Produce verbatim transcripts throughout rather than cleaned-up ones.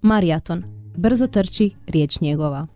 Maraton. Brzo trči riječ njegova.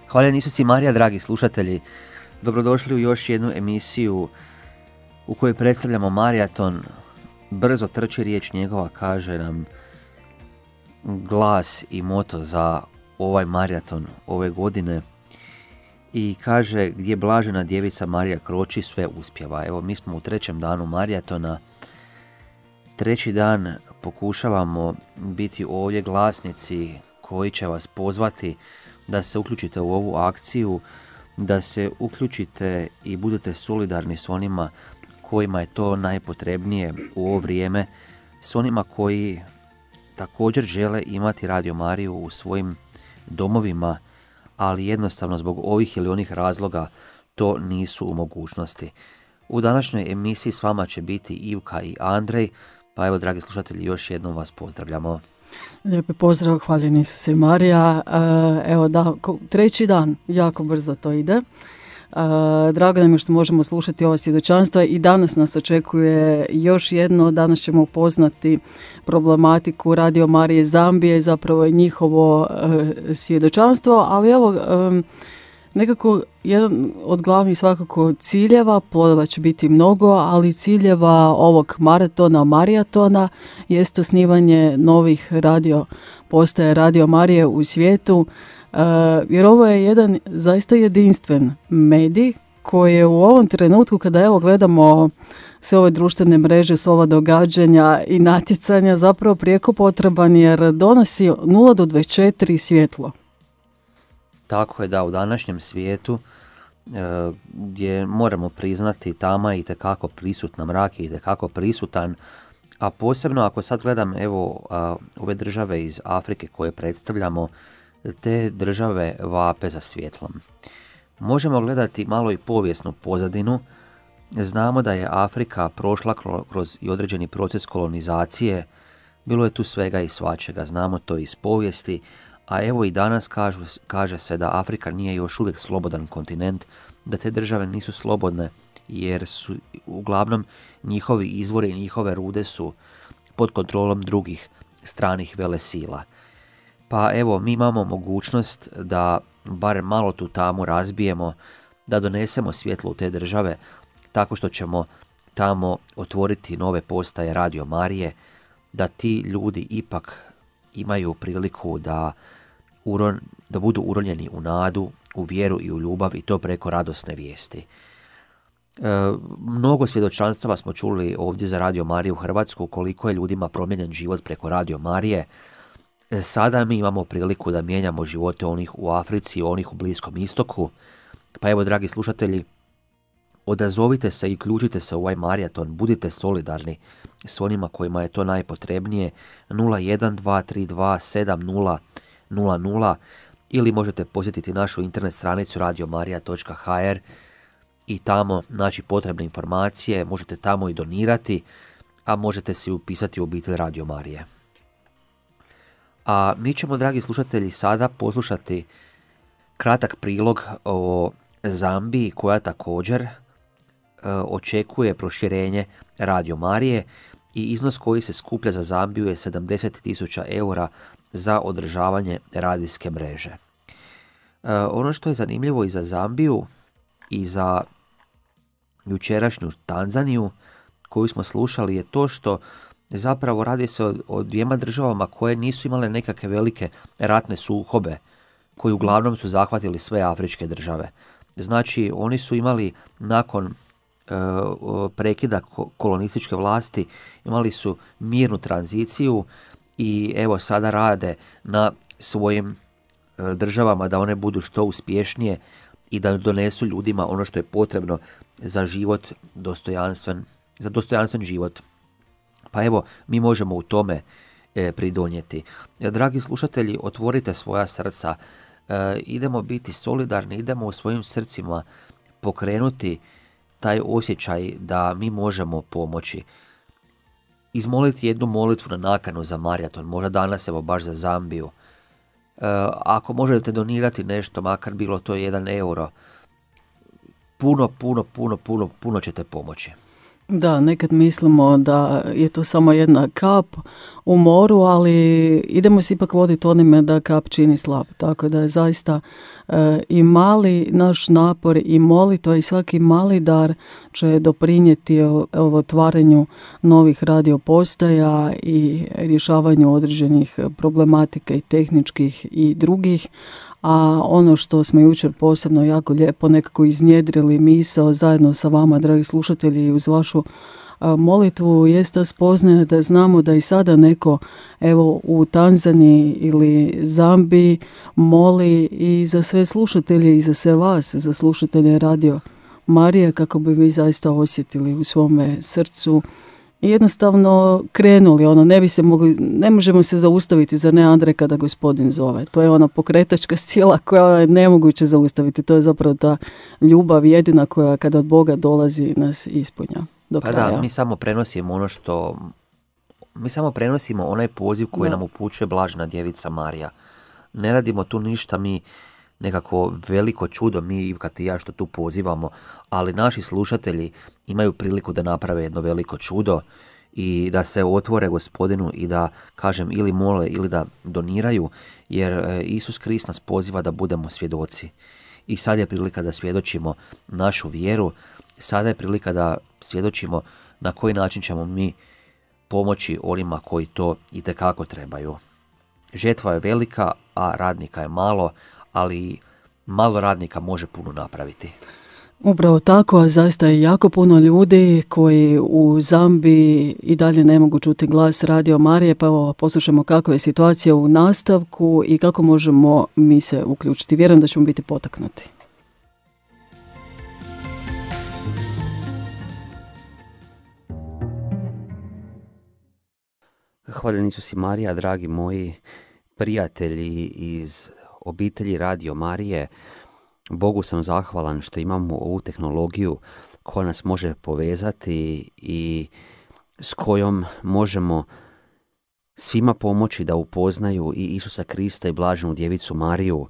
Hvala Isusi Marija, dragi slušatelji. Dobrodošli u još jednu emisiju u kojoj predstavljamo maraton. Brzo trči riječ njegova, kaže nam glas i moto za ovaj maraton ove godine. I kaže, gdje blažena djevica Marija kroči, sve uspjeva. Evo, mi smo u trećem danu maratona. Treći dan pokušavamo biti ovdje glasnici koji će vas pozvati da se uključite u ovu akciju, da se uključite i budete solidarni s onima kojima je to najpotrebnije u ovo vrijeme, s onima koji također žele imati Radio Mariju u svojim domovima, ali jednostavno zbog ovih ili onih razloga to nisu u mogućnosti. U današnjoj emisiji s vama će biti Ivka i Andrej, pa evo, dragi slušatelji, još jednom vas pozdravljamo. Lijepi pozdrav, hvaljen Isuse Marija. Evo da, treći dan, jako brzo to ide. Drago nam je što možemo slušati ova svjedočanstva i danas nas očekuje još jedno. Danas ćemo upoznati problematiku Radio Marije Zambije, zapravo je njihovo svjedočanstvo, ali evo, nekako jedan od glavnih svakako ciljeva, plodova će biti mnogo, ali ciljeva ovog maratona, marijatona jest osnivanje novih radio postaja Radio Marije u svijetu, uh, jer ovo je jedan zaista jedinstven medij koji je u ovom trenutku, kada evo gledamo sve ove društvene mreže, sve ova događanja i natjecanja, zapravo prijeko potreban jer donosi nula do dvadeset četiri svjetlo. Tako je, da, u današnjem svijetu gdje moramo priznati tama i itekako prisutna, mrak je itekako prisutan, a posebno ako sad gledam evo ove države iz Afrike koje predstavljamo, te države vape za svjetlom. Možemo gledati malo i povijesnu pozadinu. Znamo da je Afrika prošla kroz i određeni proces kolonizacije, bilo je tu svega i svačega, znamo to iz povijesti. A evo i danas kažu, kaže se da Afrika nije još uvijek slobodan kontinent, da te države nisu slobodne jer su uglavnom njihovi izvori i njihove rude su pod kontrolom drugih stranih velesila. Pa evo, mi imamo mogućnost da barem malo tu tamu razbijemo, da donesemo svjetlo u te države tako što ćemo tamo otvoriti nove postaje Radio Marije, da ti ljudi ipak imaju priliku da, uron, da budu uronjeni u nadu, u vjeru i u ljubav, i to preko radosne vijesti. E, mnogo svjedočanstava smo čuli ovdje za Radio Mariju u Hrvatsku, koliko je ljudima promijenjen život preko Radio Marije. E, sada mi imamo priliku da mijenjamo živote onih u Africi, onih u Bliskom istoku. Pa evo, dragi slušatelji, odazovite se i uključite se u ovaj maraton, budite solidarni s onima kojima je to najpotrebnije. Nula jedan dva tri dva sedam nula nula nula ili možete posjetiti našu internet stranicu radio marija točka ha er i tamo naći potrebne informacije, možete tamo i donirati, a možete se upisati u obitelj Radio Marije. A mi ćemo, dragi slušatelji, sada poslušati kratak prilog o Zambiji, koja također e, očekuje proširenje Radio Marije, i iznos koji se skuplja za Zambiju je sedamdeset tisuća eura za održavanje radijske mreže. E, ono što je zanimljivo i za Zambiju i za jučerašnju Tanzaniju koju smo slušali je to što zapravo radi se o, o dvijema državama koje nisu imale nekakve velike ratne sukobe koji uglavnom su zahvatili sve afričke države. Znači, oni su imali nakon e, prekida kolonističke vlasti, imali su mirnu tranziciju i evo sada rade na svojim e, državama da one budu što uspješnije i da donesu ljudima ono što je potrebno za život dostojanstven, za dostojanstven život. Pa evo, mi možemo u tome e, pridonijeti. Dragi slušatelji, otvorite svoja srca, e, idemo biti solidarni, idemo u svojim srcima pokrenuti taj osjećaj da mi možemo pomoći. Izmoliti jednu molitvu na nakanu za maraton, možda danas evo baš za Zambiju. E, ako možete donirati nešto, makar bilo to jedan euro, puno, puno, puno, puno, puno ćete pomoći. Da, nekad mislimo da je to samo jedna kap u moru, ali idemo se ipak voditi onime da kap čini slab. Tako da je zaista e, i mali naš napor i molitva i svaki mali dar će doprinijeti ovo otvaranju novih radiopostaja i rješavanju određenih problematika i tehničkih i drugih. A ono što smo jučer posebno jako lijepo nekako iznjedrili misao zajedno sa vama, dragi slušatelji, uz vašu a, molitvu jest ta spoznaja da znamo da i sada neko evo u Tanzaniji ili Zambiji moli i za sve slušatelje i za sve vas, za slušatelje Radio Marije, kako bi vi zaista osjetili u svome srcu i jednostavno krenuli, ono, ne bi se mogli, ne možemo se zaustaviti, zar ne, Andrej, kada Gospodin zove. To je ona pokretačka sila koja je nemoguće zaustaviti. To je zapravo ta ljubav jedina koja kada od Boga dolazi nas ispunja do pa kraja. Da, mi samo prenosimo ono što, mi samo prenosimo onaj poziv koji da. nam upućuje Blažena djevica Marija. Ne radimo tu ništa, mi nekako veliko čudo, mi kad i ja što tu pozivamo, ali naši slušatelji imaju priliku da naprave jedno veliko čudo i da se otvore Gospodinu i da, kažem, ili mole ili da doniraju, jer Isus Krist nas poziva da budemo svjedoci. I sad je prilika da svjedočimo našu vjeru, sada je prilika da svjedočimo na koji način ćemo mi pomoći onima koji to itekako trebaju. Žetva je velika, a radnika je malo, ali malo radnika može puno napraviti. Upravo tako, a zaista je jako puno ljudi koji u Zambiji i dalje ne mogu čuti glas Radio Marije, pa evo poslušamo kakva je situacija u nastavku i kako možemo mi se uključiti. Vjerujem da ćemo biti potaknuti. Hvaljeni Isus i Marija, dragi moji prijatelji iz obitelji Radio Marije. Bogu sam zahvalan što imamo ovu tehnologiju koja nas može povezati i s kojom možemo svima pomoći da upoznaju i Isusa Krista i Blaženu djevicu Mariju,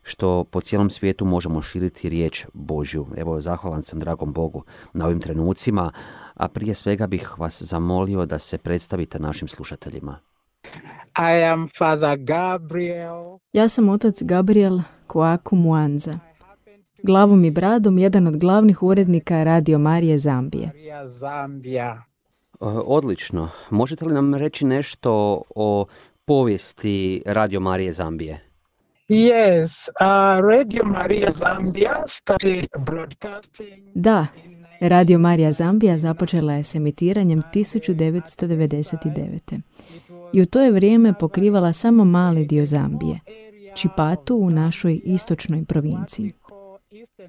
što po cijelom svijetu možemo širiti riječ Božju. Evo, zahvalan sam dragom Bogu na ovim trenucima, a prije svega bih vas zamolio da se predstavite našim slušateljima. I am Father Gabriel. Ja sam otac Gabriel Koaku Mwanza. Glavom i bradom jedan od glavnih urednika Radio Marije Zambije. Zambija. Odlično. Možete li nam reći nešto o povijesti Radio Marije Zambije? Yes, uh, Radio Marija Zambija started broadcasting. Da, Radio Marija Zambija započela je s emitiranjem tisuću devetsto devedeset devete. I u to je vrijeme pokrivala samo mali dio Zambije, Čipatu u našoj istočnoj provinciji.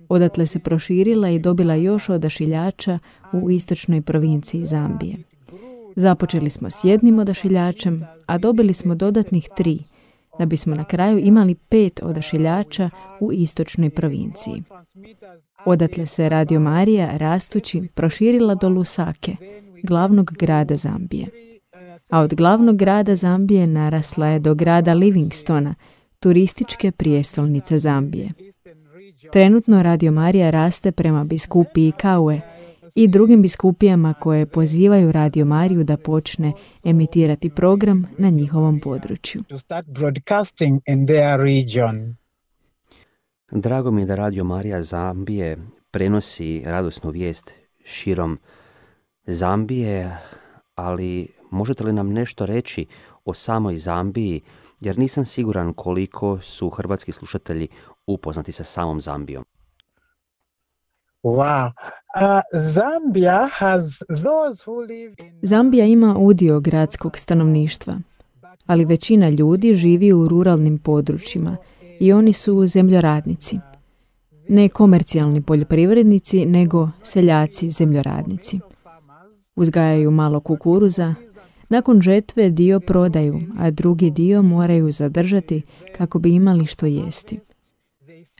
Odatle se proširila i dobila još odašiljača u istočnoj provinciji Zambije. Započeli smo s jednim odašiljačem, a dobili smo dodatnih tri, da bismo na kraju imali pet odašiljača u istočnoj provinciji. Odatle se Radio Marija rastući proširila do Lusake, glavnog grada Zambije. A od glavnog grada Zambije narasla je do grada Livingstona, turističke prijestolnice Zambije. Trenutno Radio Marija raste prema biskupiji Kaue i drugim biskupijama koje pozivaju Radio Mariju da počne emitirati program na njihovom području. to start broadcasting in their region. Drago mi je da Radio Marija Zambije prenosi radosnu vijest širom Zambije, ali možete li nam nešto reći o samoj Zambiji, jer nisam siguran koliko su hrvatski slušatelji upoznati sa samom Zambijom. Wow. Uh, Zambia has those who live in Zambija ima udio gradskog stanovništva, ali većina ljudi živi u ruralnim područjima i oni su zemljoradnici. Ne komercijalni poljoprivrednici, nego seljaci zemljoradnici. Uzgajaju malo kukuruza, nakon žetve dio prodaju, a drugi dio moraju zadržati kako bi imali što jesti.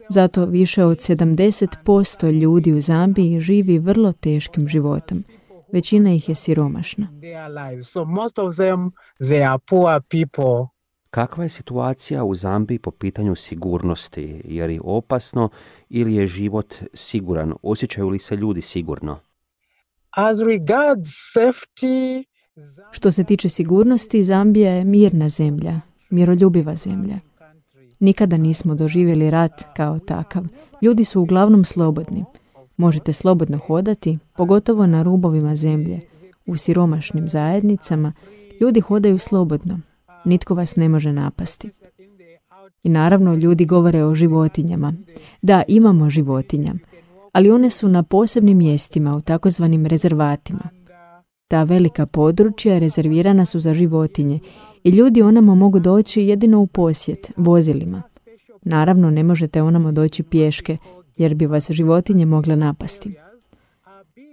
Zato više od sedamdeset posto ljudi u Zambiji živi vrlo teškim životom. Većina ih je siromašna. their lives. So most of them, they are poor people. Kakva je situacija u Zambiji po pitanju sigurnosti? Je li opasno ili je život siguran? Osjećaju li se ljudi sigurno? As regards safety, Što se tiče sigurnosti, Zambija je mirna zemlja, miroljubiva zemlja. Nikada nismo doživjeli rat kao takav. Ljudi su uglavnom slobodni. Možete slobodno hodati, pogotovo na rubovima zemlje. U siromašnim zajednicama ljudi hodaju slobodno. Nitko vas ne može napasti. I naravno ljudi govore o životinjama. Da, imamo životinja, ali one su na posebnim mjestima u takozvanim rezervatima. Ta velika područja rezervirana su za životinje i ljudi onamo mogu doći jedino u posjet, vozilima. Naravno, ne možete onamo doći pješke, jer bi vas životinje mogle napasti.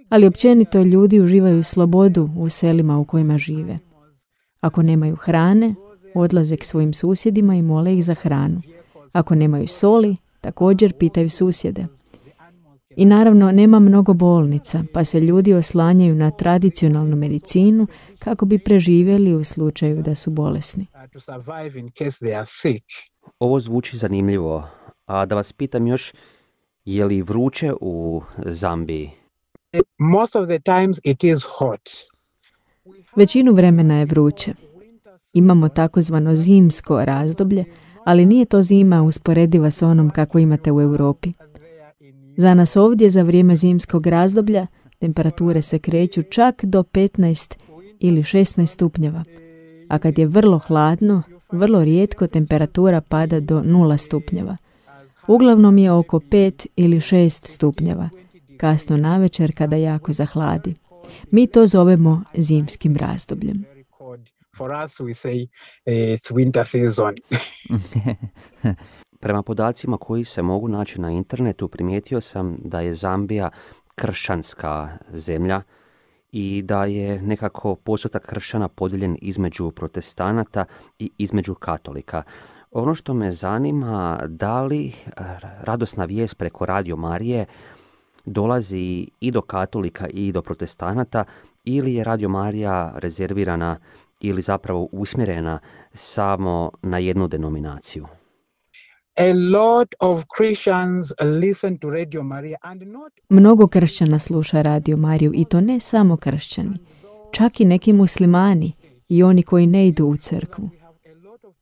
Ali općenito ljudi uživaju slobodu u selima u kojima žive. Ako nemaju hrane, odlaze k svojim susjedima i mole ih za hranu. Ako nemaju soli, također pitaju susjede. I naravno nema mnogo bolnica, pa se ljudi oslanjaju na tradicionalnu medicinu kako bi preživjeli u slučaju da su bolesni. uh, to survive in case they are sick. Ovo zvuči zanimljivo. A da vas pitam još, je li vruće u Zambiji? Most of the times it is hot. Većinu vremena je vruće. Imamo takozvano zimsko razdoblje, ali nije to zima usporediva s onom kako imate u Europi. Za nas ovdje za vrijeme zimskog razdoblja temperature se kreću čak do petnaest ili šesnaest stupnjeva, a kad je vrlo hladno, vrlo rijetko temperatura pada do nula stupnjeva. Uglavnom je oko pet ili šest stupnjeva, kasno navečer kada jako zahladi. Mi to zovemo zimskim razdobljem. Very cold. For us, we say uh, it's winter season. Prema podacima koji se mogu naći na internetu, primijetio sam da je Zambija kršćanska zemlja i da je nekako postotak kršćana podijeljen između protestanata i između katolika. Ono što me zanima, da li radosna vijest preko Radio Marije dolazi i do katolika i do protestanata, ili je Radio Marija rezervirana ili zapravo usmjerena samo na jednu denominaciju? A lot of Christians listen to Radio Maria and not Mnogo kršćana sluša Radio Mariju i to ne samo kršćani, čak i neki muslimani i oni koji ne idu u crkvu.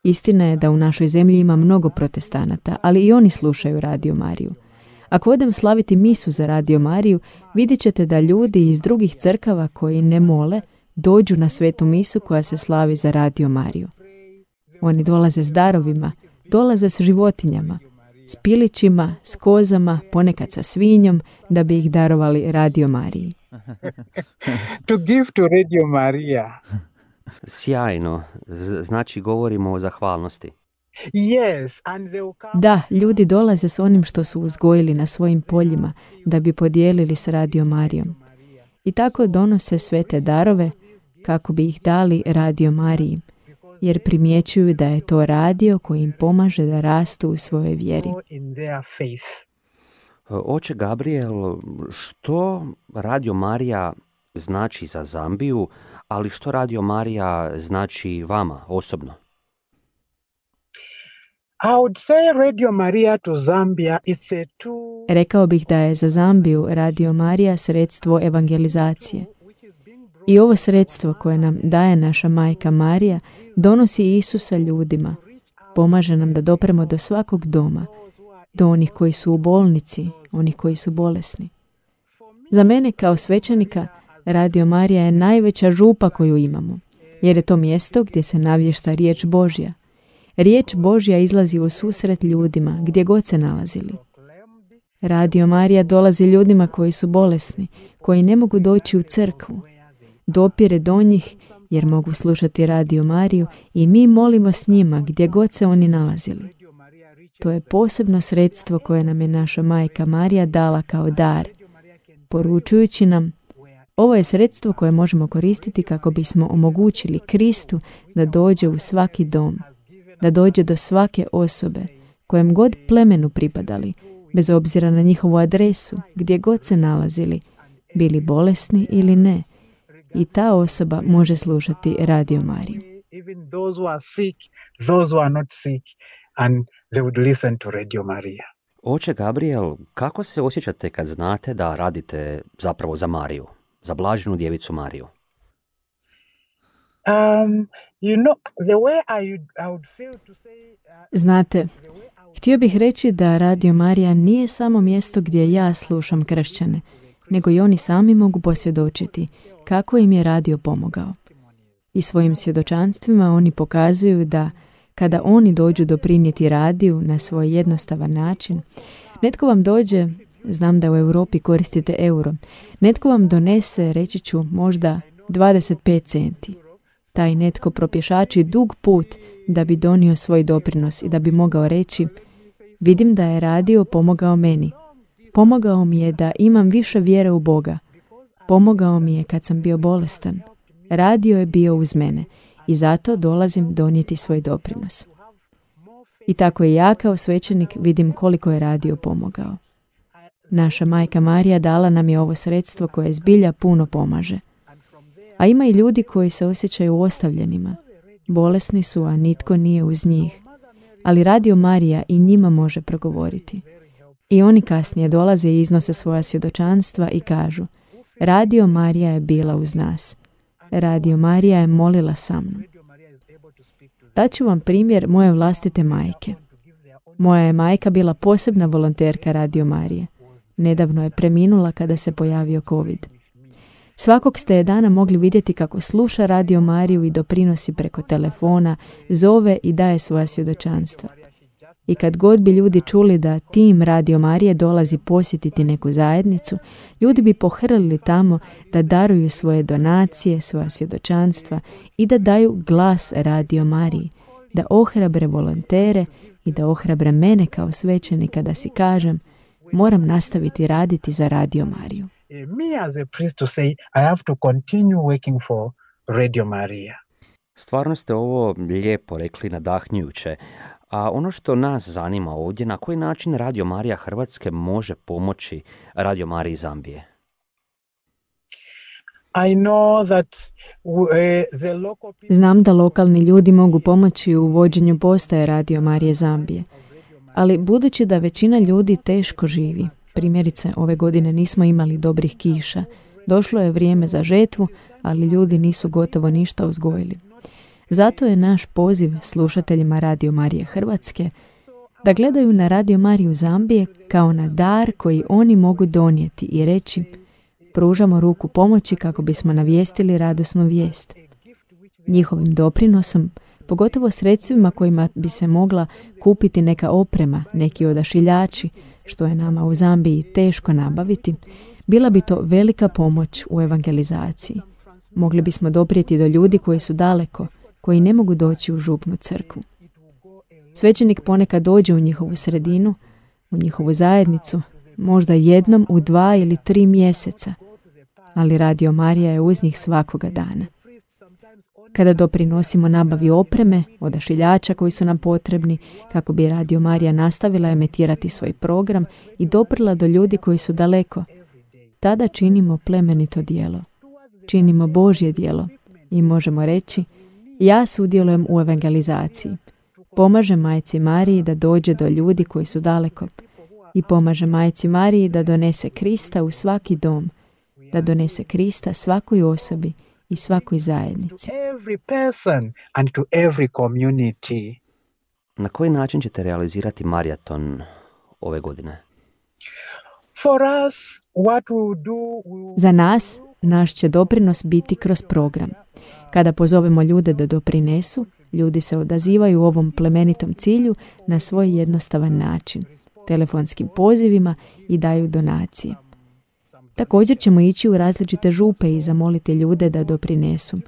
Istina je da u našoj zemlji ima mnogo protestanata, ali i oni slušaju Radio Mariju. Ako odem slaviti misu za Radio Mariju, vidjet ćete da ljudi iz drugih crkava koji ne mole dođu na svetu misu koja se slavi za Radio Mariju. Oni dolaze s darovima, dolaze s životinjama, s pilićima, s kozama, ponekad sa svinjom, da bi ih darovali Radio Mariji. to give to Radio Maria. Sjajno, Z- znači govorimo o zahvalnosti. Yes, and they will come. Da, ljudi dolaze s onim što su uzgojili na svojim poljima da bi podijelili s Radio Marijom. I tako donose sve te darove kako bi ih dali Radio Mariji, jer primjećuju da je to radio koji im pomaže da rastu u svojoj vjeri. In their faith. Oče Gabriel, što Radio Marija znači za Zambiju, ali što Radio Marija znači vama osobno? I would say Radio Maria to Zambia, it's a tool. Rekao bih da je za Zambiju Radio Marija sredstvo evangelizacije. I ovo sredstvo koje nam daje naša majka Marija donosi Isusa ljudima, pomaže nam da dopremo do svakog doma, do onih koji su u bolnici, onih koji su bolesni. Za mene kao svećenika Radio Marija je najveća župa koju imamo, jer je to mjesto gdje se navješta riječ Božja. Riječ Božja izlazi u susret ljudima gdje god se nalazili. Radio Marija dolazi ljudima koji su bolesni, koji ne mogu doći u crkvu. Dopire do njih jer mogu slušati Radio Mariju i mi molimo s njima gdje god se oni nalazili. To je posebno sredstvo koje nam je naša majka Marija dala kao dar, poručujući nam: ovo je sredstvo koje možemo koristiti kako bismo omogućili Kristu da dođe u svaki dom, da dođe do svake osobe, kojem god plemenu pripadali, bez obzira na njihovu adresu, gdje god se nalazili, bili bolesni ili ne. I ta osoba može slušati Radio Mariju. Even those who are sick, those who are not sick, and they would listen to Radio Maria. Oče Gabriel, kako se osjećate kad znate da radite zapravo za Mariju, za blaženu djevicu Mariju? Um, you know, the way I, I would feel to say, uh, Znate, htio bih reći da Radio Marija nije samo mjesto gdje ja slušam kršćane, nego i oni sami mogu posvjedočiti kako im je radio pomogao. I svojim svjedočanstvima oni pokazuju da kada oni dođu doprinijeti radiju na svoj jednostavan način, netko vam dođe, znam da u Europi koristite euro, netko vam donese, reći ću, možda dvadeset pet centi. Taj netko propješači dug put da bi donio svoj doprinos i da bi mogao reći: vidim da je radio pomogao meni. Pomogao mi je da imam više vjere u Boga. Pomogao mi je kad sam bio bolestan. Radio je bio uz mene i zato dolazim donijeti svoj doprinos. I tako i ja kao svećenik vidim koliko je radio pomogao. Naša majka Marija dala nam je ovo sredstvo koje zbilja puno pomaže. A ima i ljudi koji se osjećaju ostavljenima. Bolesni su, a nitko nije uz njih. Ali Radio Marija i njima može progovoriti. I oni kasnije dolaze i iznose svoja svjedočanstva i kažu: Radio Marija je bila uz nas. Radio Marija je molila sa mnom. Daću vam primjer moje vlastite majke. Moja je majka bila posebna volonterka Radio Marije. Nedavno je preminula kada se pojavio COVID. Svakog ste je dana mogli vidjeti kako sluša Radio Mariju i doprinosi preko telefona, zove i daje svoja svjedočanstva. I kad god bi ljudi čuli da tim Radio Marije dolazi posjetiti neku zajednicu, ljudi bi pohrlili tamo da daruju svoje donacije, svoja svjedočanstva i da daju glas Radio Mariji, da ohrabre volontere i da ohrabre mene kao svećenika da si kažem: moram nastaviti raditi za Radio Mariju. me as a priest to say, I have to continue working for Radio Maria. Stvarno ste ovo lijepo rekli, nadahnjujuće. A ono što nas zanima ovdje, na koji način Radio Marija Hrvatske može pomoći Radio Mariji Zambije? I know that uh, the local people... Znam da lokalni ljudi mogu pomoći u vođenju postaje Radio Marije Zambije, ali budući da većina ljudi teško živi, primjerice ove godine nismo imali dobrih kiša, došlo je vrijeme za žetvu, ali ljudi nisu gotovo ništa uzgojili. Zato je naš poziv slušateljima Radio Marije Hrvatske da gledaju na Radio Mariju Zambije kao na dar koji oni mogu donijeti i reći: pružamo ruku pomoći kako bismo navijestili radosnu vijest. Njihovim doprinosom, pogotovo sredstvima kojima bi se mogla kupiti neka oprema, neki odašiljači, što je nama u Zambiji teško nabaviti, bila bi to velika pomoć u evangelizaciji. Mogli bismo doprijeti do ljudi koji su daleko, koji ne mogu doći u župnu crkvu. Svećenik ponekad dođe u njihovu sredinu, u njihovu zajednicu, možda jednom u dva ili tri mjeseca, ali Radio Marija je uz njih svakoga dana. Kada doprinosimo nabavi opreme, odašiljača koji su nam potrebni, kako bi Radio Marija nastavila emitirati svoj program i doprla do ljudi koji su daleko, tada činimo plemenito djelo. Činimo Božje djelo i možemo reći: ja sudjelujem u evangelizaciji. Pomaže Majci Mariji da dođe do ljudi koji su daleko i pomaže Majci Mariji da donese Krista u svaki dom, da donese Krista svakoj osobi i svakoj zajednici. Every person and to every community. Na koji način ćete realizirati maraton ove godine? For us, what we do, we... Za nas, naš će doprinos biti kroz program. Kada pozovemo ljude da doprinesu, ljudi se odazivaju ovom plemenitom cilju na svoj jednostavan način, telefonskim pozivima i daju donacije. Također ćemo ići u različite župe i zamoliti ljude da doprinesu.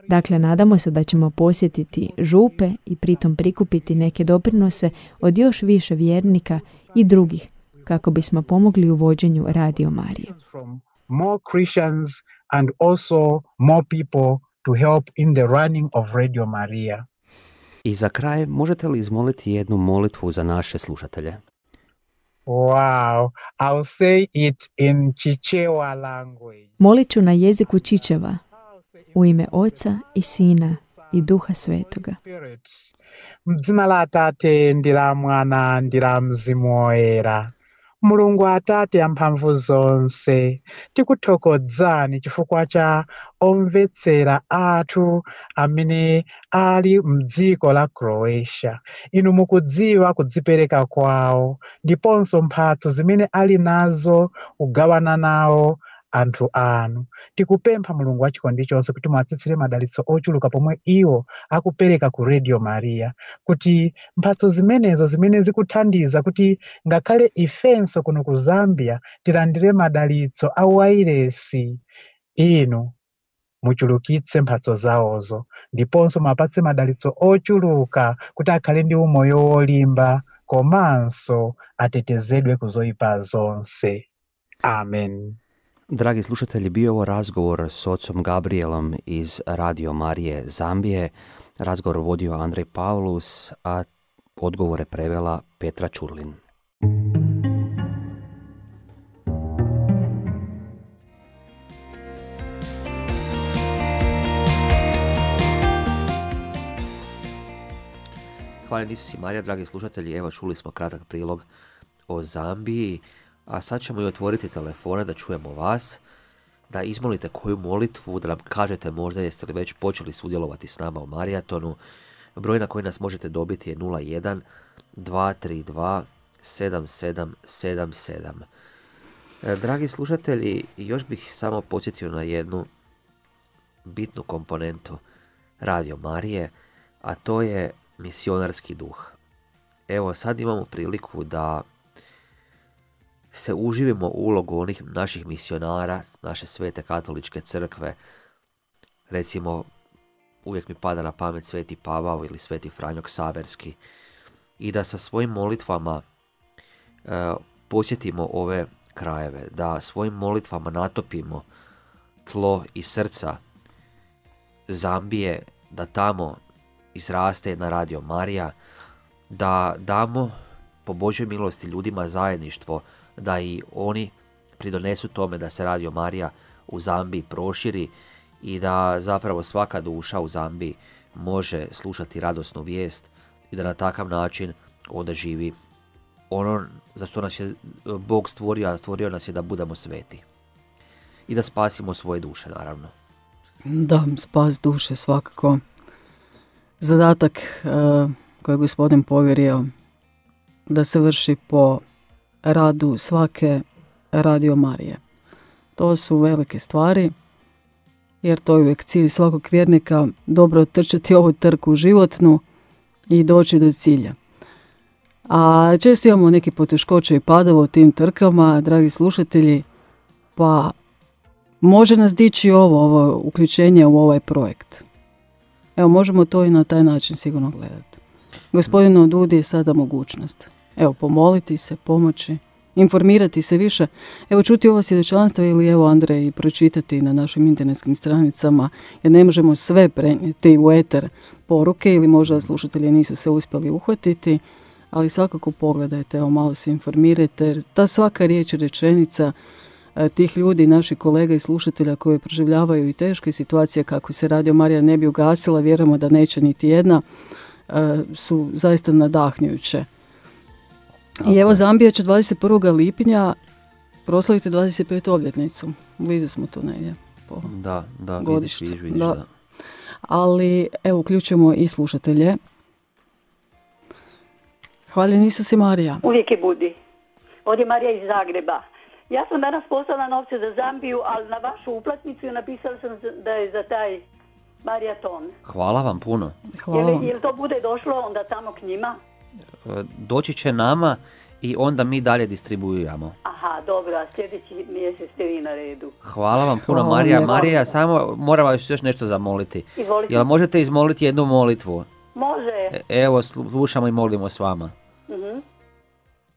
Dakle, nadamo se da ćemo posjetiti župe i pritom prikupiti neke doprinose od još više vjernika i drugih kako bismo pomogli u vođenju Radio Marije. More Christians and also more people to help in the running of Radio Maria. I za kraj, možete li izmoliti jednu molitvu za naše slušatelje? Wow, I'll say it in Chichewa language. Molit ću na jeziku Čičeva, u ime Oca i Sina i Duha Svetoga. M'dzina la Tate ndi la Mwana ndi la Mzimu Woyera. Mulungu Atate amphamvu zonse, tikuthokozani chifukwa cha omvetsera athu amene ali mdziko la Croatia. Inu mukudziwa kudzipereka kwawo, ndiponso mphatso zimene ali nazo kugawana nawo anthu anu. Tikupempha Mulungu wachikondi chonse kuti muwatsitsire madalitso ochuluka pomwe iwo akupereka ku Radio Maria, kuti mphatso zimenezo zimene zikuthandiza kuti ngakhale ifenso kuno ku Zambia tilandire madalitso a wairesi, inu muchulukitse mphatso zawozo, ndiponso mapatse madalitso ochuluka kuti akhale ndi umoyo wolimba, komanso atetezedwe kuzoyipa zonse. Amen. Dragi slušatelji, bio ovo razgovor s ocom Gabrielom iz Radio Marije Zambije. Razgovor vodio Andrej Paulus, a odgovore prevela Petra Čurlin. Hvala Isus i Marija, dragi slušatelji. Evo, čuli smo kratak prilog o Zambiji. A sad ćemo i otvoriti telefone da čujemo vas, da izmolite koju molitvu, da nam kažete možda jeste li već počeli sudjelovati s nama u maratonu. Broj na koji nas možete dobiti je nula jedan dva tri dva sedam sedam sedam sedam. Dragi slušatelji, još bih samo podsjetio na jednu bitnu komponentu Radio Marije, a to je misionarski duh. Evo, sad imamo priliku da se uživimo u ulogu onih naših misionara, naše svete katoličke crkve. Recimo, uvijek mi pada na pamet Sveti Pavao ili Sveti Franjo Ksaverski. I da sa svojim molitvama e, posjetimo ove krajeve, da svojim molitvama natopimo tlo i srca Zambije, da tamo izraste jedna Radio Marija, da damo po Božoj milosti ljudima zajedništvo, da i oni pridonesu tome da se Radio Marija u Zambiji proširi i da zapravo svaka duša u Zambiji može slušati radosnu vijest i da na takav način onda živi ono za što nas je Bog stvorio, a stvorio nas je da budemo sveti i da spasimo svoje duše, naravno. Da, spas duše svakako. Zadatak uh, koji je Gospodin povjerio da se vrši po radu svake Radio Marije. To su velike stvari, jer to je uvijek cilj svakog vjernika, dobro otrčati ovu trku životnu i doći do cilja. A često imamo neke poteškoće i padove u tim trkama, dragi slušatelji, pa može nas dići ovo, ovo uključenje u ovaj projekt. Evo, možemo to i na taj način sigurno gledati. Gospodinu Dudi je sada mogućnost. Evo, pomoliti se, pomoći, informirati se više. Evo, čuti ovo svjedočanstvo ili evo, Andrej, pročitati na našim internetskim stranicama, jer ne možemo sve prenijeti u eter poruke ili možda slušatelji nisu se uspjeli uhvatiti, ali svakako pogledajte, evo, malo se informirajte, jer ta svaka riječ i rečenica tih ljudi, naših kolega i slušatelja koji proživljavaju i teške situacije kako se Radio Marija ne bi ugasila, vjerujemo da neće niti jedna, su zaista nadahnjuće. I evo Zambija će dvadeset prvog lipnja proslaviti dvadeset petu obljetnicu. Blizu smo tu negdje. Po da, da, godištu. vidiš, vidiš, da. da. Ali evo uključujemo i slušatelje. Hvaljen Isus i Marija. Uvijek je budi. Ovdje je Marija iz Zagreba. Ja sam danas poslala novce za Zambiju, ali na vašu uplatnicu napisala sam da je za taj maraton. Hvala vam puno. Hvala vam. Jel, jel to bude došlo onda tamo k njima? Doći će nama i onda mi dalje distribuiramo. Aha, dobro, a sljedeći mjesec ste vi na redu. Hvala vam puno, Hvala Marija. vam. Marija, samo moram vas još nešto zamoliti. Izvolite. Jel možete izmoliti jednu molitvu? Može. E, Evo, slušamo i molimo s vama. Uh-huh.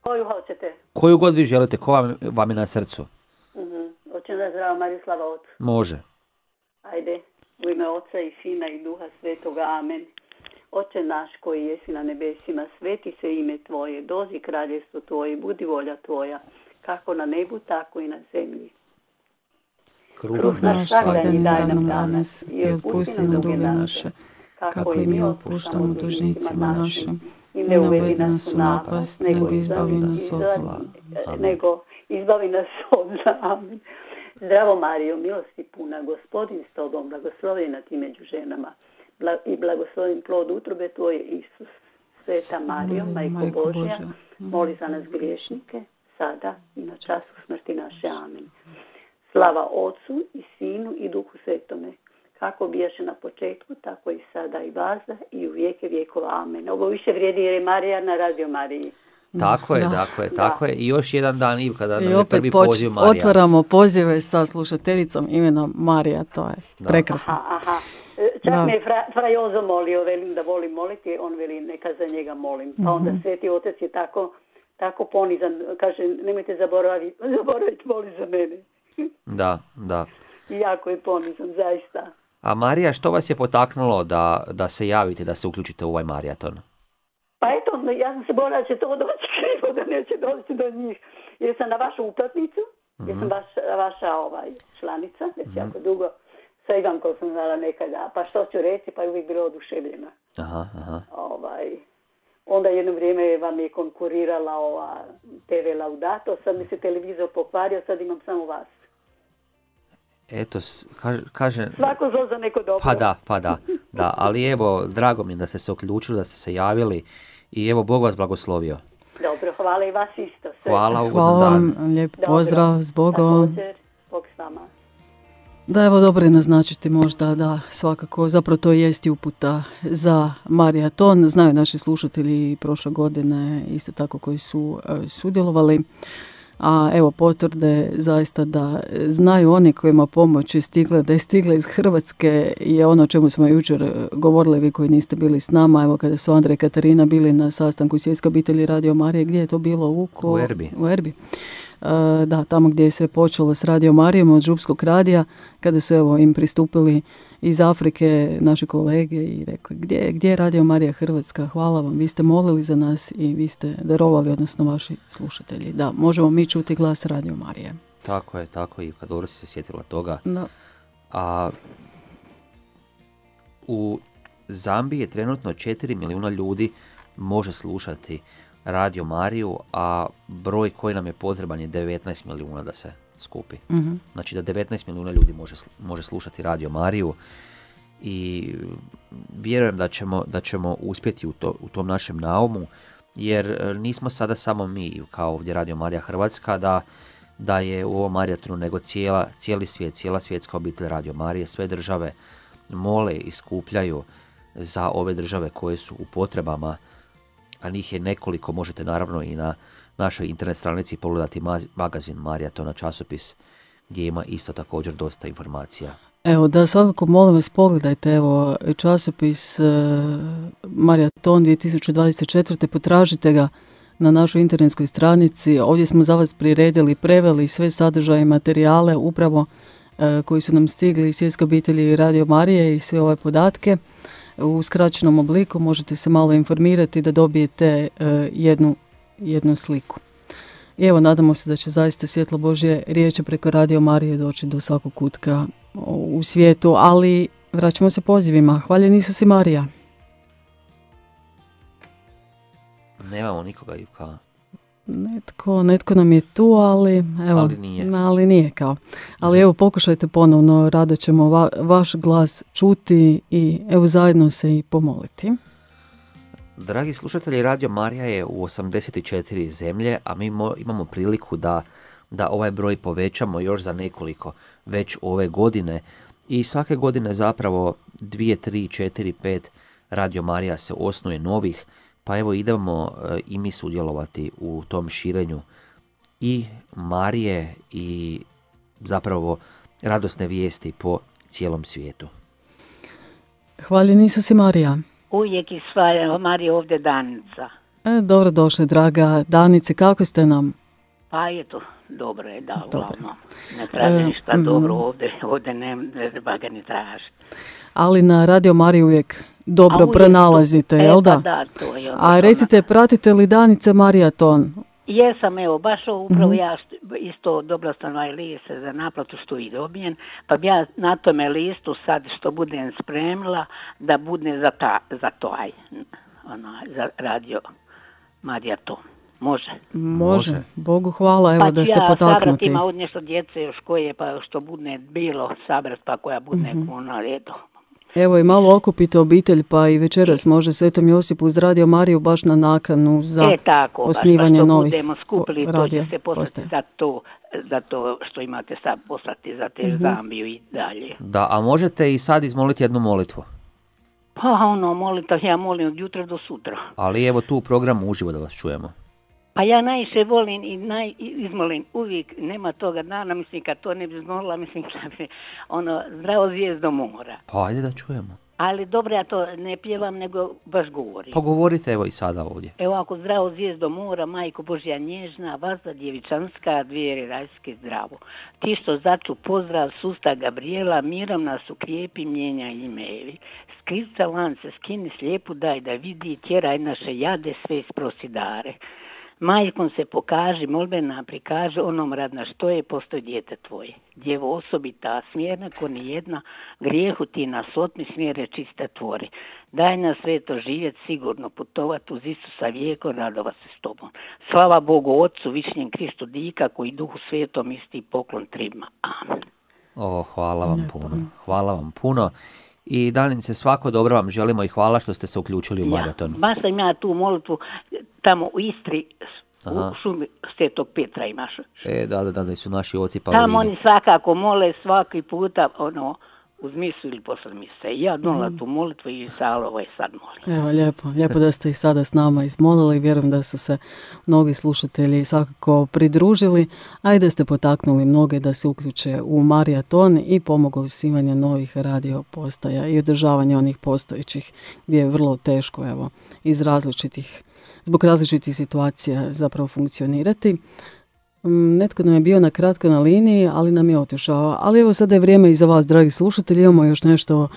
Koju hoćete? Koju god vi želite, ko vam, vam je na srcu? Uh-huh. Hoće da zdravo Mariju slava Otcu. Može. Ajde, u ime Oca i Sina i Duha Svetoga, amen. Oče naš koji jesi na nebesima, sveti se ime Tvoje, dođi kraljevstvo Tvoje, budi volja Tvoja, kako na nebu, tako i na zemlji. Kruh naš svakdanji daj nam danas i otpusti nam duge naše, kako i mi otpuštamo dužnicima našim. I ne uvedi nas u napast, nego izbavi nas od zla. Nego izbavi nas od zla. Amen. Zdravo Marijo, milosti puna, Gospodin s Tobom, blagoslovljena ti među ženama i blagoslovljen plod utrobe Tvoje, Isus. Sveta Marijo, Majko Božja, moli za nas griješnike, sada i na času smrti naše. Amen. Slava Otcu i Sinu i Duhu Svetome, kako bijaše na početku, tako i sada i vazda i u vijeke vjekova. Amen. Ovo više vrijedi jer je Marija na Radio Mariji. Tako je, Da. tako je, tako je. I još jedan dan, Ivka, da I nam je opet prvi poč- poziv Marija. otvaramo pozive sa slušateljicom imena Marija, to je Da. prekrasno. Aha, aha. Čak Da. me je fra, fra Jozo molio, velim da volim moliti, on veli neka za njega molim. Pa onda Sveti Otac je tako, tako ponizan, kaže nemojte zaboraviti, zaboraviti moli za mene. Da, da. I jako je ponizan, zaista. A Marija, što vas je potaknulo da, da se javite, da se uključite u ovaj maraton? Pa eto, ja sam se bojala da će to doći krivo, da neće doći do njih. Jer sam na vašu uplatnicu, jer sam vaš, vaša ovaj, članica, već jako dugo, sa Ivankom sam znala nekada, pa što ću reći, pa je uvijek bila oduševljena. Aha, aha. Ovaj, onda jedno vrijeme vam je konkurirala ova te ve Laudato, sad mi se televizor pokvario, sad imam samo vas. Eto, s- kaže, kaže... Svako zlo za neko dobro. Pa da, pa da, da, ali evo, drago mi je da ste se uključili, da ste se javili i evo, Bog vas blagoslovio. Dobro, hvala i vas isto. Sve. Hvala, ugodan Hvala dan. vam, lijep Dobro. pozdrav, s Bogom. Također, Bog s vama. Da, evo dobro je naznačiti možda da svakako, zapravo to jest i uputa za maraton. Znaju naši slušatelji prošle godine isto tako koji su e, sudjelovali. A evo potvrde zaista da znaju oni kojima pomoć je stigla, da je stigla iz Hrvatske je ono o čemu smo jučer govorili, vi koji niste bili s nama. Evo kada su Andrej i Katarina bili na sastanku Svjetske obitelji Radio Marije, gdje je to bilo? U, Ko... U Erbi. U Erbi. E, da, tamo gdje je sve počelo s Radio Marijom od Župskog radija, kada su evo im pristupili iz Afrike naši kolege i rekli gdje, gdje je Radio Marija Hrvatska, hvala vam, vi ste molili za nas i vi ste darovali, odnosno vaši slušatelji. Da, možemo mi čuti glas Radio Marije. Tako je, tako je, Ivka, dobro si se sjetila toga. Da. A u Zambiji je trenutno četiri milijuna ljudi može slušati Radio Mariju, a broj koji nam je potreban je devetnaest milijuna da se skupi. Mhm. Znači da devetnaest milijuna ljudi može, sl- može slušati Radio Mariju i vjerujem da ćemo, da ćemo uspjeti u, to, u tom našem naumu, jer e, nismo sada samo mi kao ovdje Radio Marija Hrvatska da, da je u ovom maratonu, nego cijela, cijeli svijet, cijela svjetska obitelj Radio Marije, sve države mole i skupljaju za ove države koje su u potrebama, a njih je nekoliko, možete naravno i na našoj internet stranici pogledati ma- magazin Maratona, časopis, gdje ima isto također dosta informacija. Evo da svakako molim vas pogledajte evo časopis e, Maraton dvije tisuće dvadeset četvrte. Potražite ga na našoj internetskoj stranici. Ovdje smo za vas priredili, preveli sve sadržaje i materijale upravo e, koji su nam stigli iz Svjetske obitelji Radio Marije i sve ove podatke. U skraćenom obliku možete se malo informirati da dobijete e, jednu, jednu sliku. I evo, nadamo se da će zaista svjetlo Božje riječi preko Radio Marije doći do svakog kutka u svijetu, ali vraćamo se pozivima. Hvaljen Isus i Marija. Nemamo nikoga, Ivka. Netko, netko nam je tu, ali evo, ali nije. Ali nije kao. Ali evo, pokušajte ponovno, rado ćemo va, vaš glas čuti i evo zajedno se i pomoliti. Dragi slušatelji, Radio Marija je u osamdeset četiri zemlje, a mi mo, imamo priliku da, da ovaj broj povećamo još za nekoliko već ove godine. I svake godine zapravo dvije, tri, četiri, pet Radio Marija se osnuje novih, pa evo idemo e, i mi sudjelovati u tom širenju i Marije i zapravo radosne vijesti po cijelom svijetu. Hvaljen Isus i Marija. Uvijek i sva Marija ovdje Danica. E, dobro došli, draga Danice, kako ste nam? Pa je to, dobro je, da, uglavnom. Ne traži ništa e, dobro ovdje, ovdje ne, ne treba ga ni tražiti. Ali na Radio Mariji uvijek dobro uvijek pronalazite, to, jel da? E, pa da, to je. A recite, pratite li Danice Marijaton? Jesam, evo, baš upravo mm-hmm. ja isto dobro sam ovaj list za naplatu što i dobijem, pa bi ja na tome listu sad što budem spremila da bude za, ta, za to aj, ona, za Radio Marijaton. Može. Može. Bogu hvala, evo pa da ste ja potaknuti. Pa sabrat ima od nešto djece još koje, pa što bude bilo sabrat, pa koja bude mm-hmm. kuna redu. Evo i malo okupite obitelj, pa i večeras može Svetom Josipu uz Radio Mariju baš na nakanu za e, tako, osnivanje baš, novih budemo skupili, to će se poslati za to, za to što imate sad poslati za te mm-hmm. Zambiju i dalje. Da, a možete i sad izmoliti jednu molitvu? Pa ono, molita, ja molim od jutra do sutra. Ali evo tu u programu uživo da vas čujemo. Pa ja najviše volim i naj, izmolim uvijek, nema toga dana, mislim kad to ne bi izmolila, mislim kad bi ono, zdravo zvijezdo mora. Pa ajde da čujemo. Ali dobro, ja to ne pjevam, nego baš govorim. Pa govorite evo i sada ovdje. Evo ako zdravo zvijezdo mora, majko Božja nježna, vazda djevičanska, dvijeri rajske zdravo. Ti što začu pozdrav, susta Gabriela, mirom nas ukrijepi, mijenja imevi. Skrica lance, skini slijepu, daj da vidi, tjeraj naše jade, sve isprosidare. Majkom se pokaži, molbena prikaže, onom radna što je, postoj dijete tvoje. Djevo osobita, smjerna ko nijedna, grijehu ti nas otmi, smjere čiste tvori. Daj nas sveto živjet, sigurno putovat uz Isusa vijeko, radova se s tobom. Slava Bogu Otcu, višnjem Kristu dika, koji Duhu Svetom isti poklon trima. Amen. O, hvala vam puno, hvala vam puno. I Danice, svako dobro vam želimo i hvala što ste se uključili u maraton. Ja, baš sam ja tu molitvu tamo u Istri, Aha. u šumi Svetog Petra imaš. E, da, da, da, su naši oci Paulini. Tamo oni svakako mole svaki puta, ono, uz misu ili posle mise. Ja donala mm. tu molitvu i Salovo je sad molim. Evo, lijepo, lijepo da ste i sada s nama izmolili. Vjerujem da su se mnogi slušatelji svakako pridružili, a i da ste potaknuli mnoge da se uključe u maraton i pomogli osnivanje novih radio postaja i održavanje onih postojećih gdje je vrlo teško, evo, iz različitih, zbog različitih situacija zapravo funkcionirati. Netko nam je bio na kratko na liniji, ali nam je otišao. Ali evo sada je vrijeme i za vas, dragi slušatelji. Imamo još nešto uh,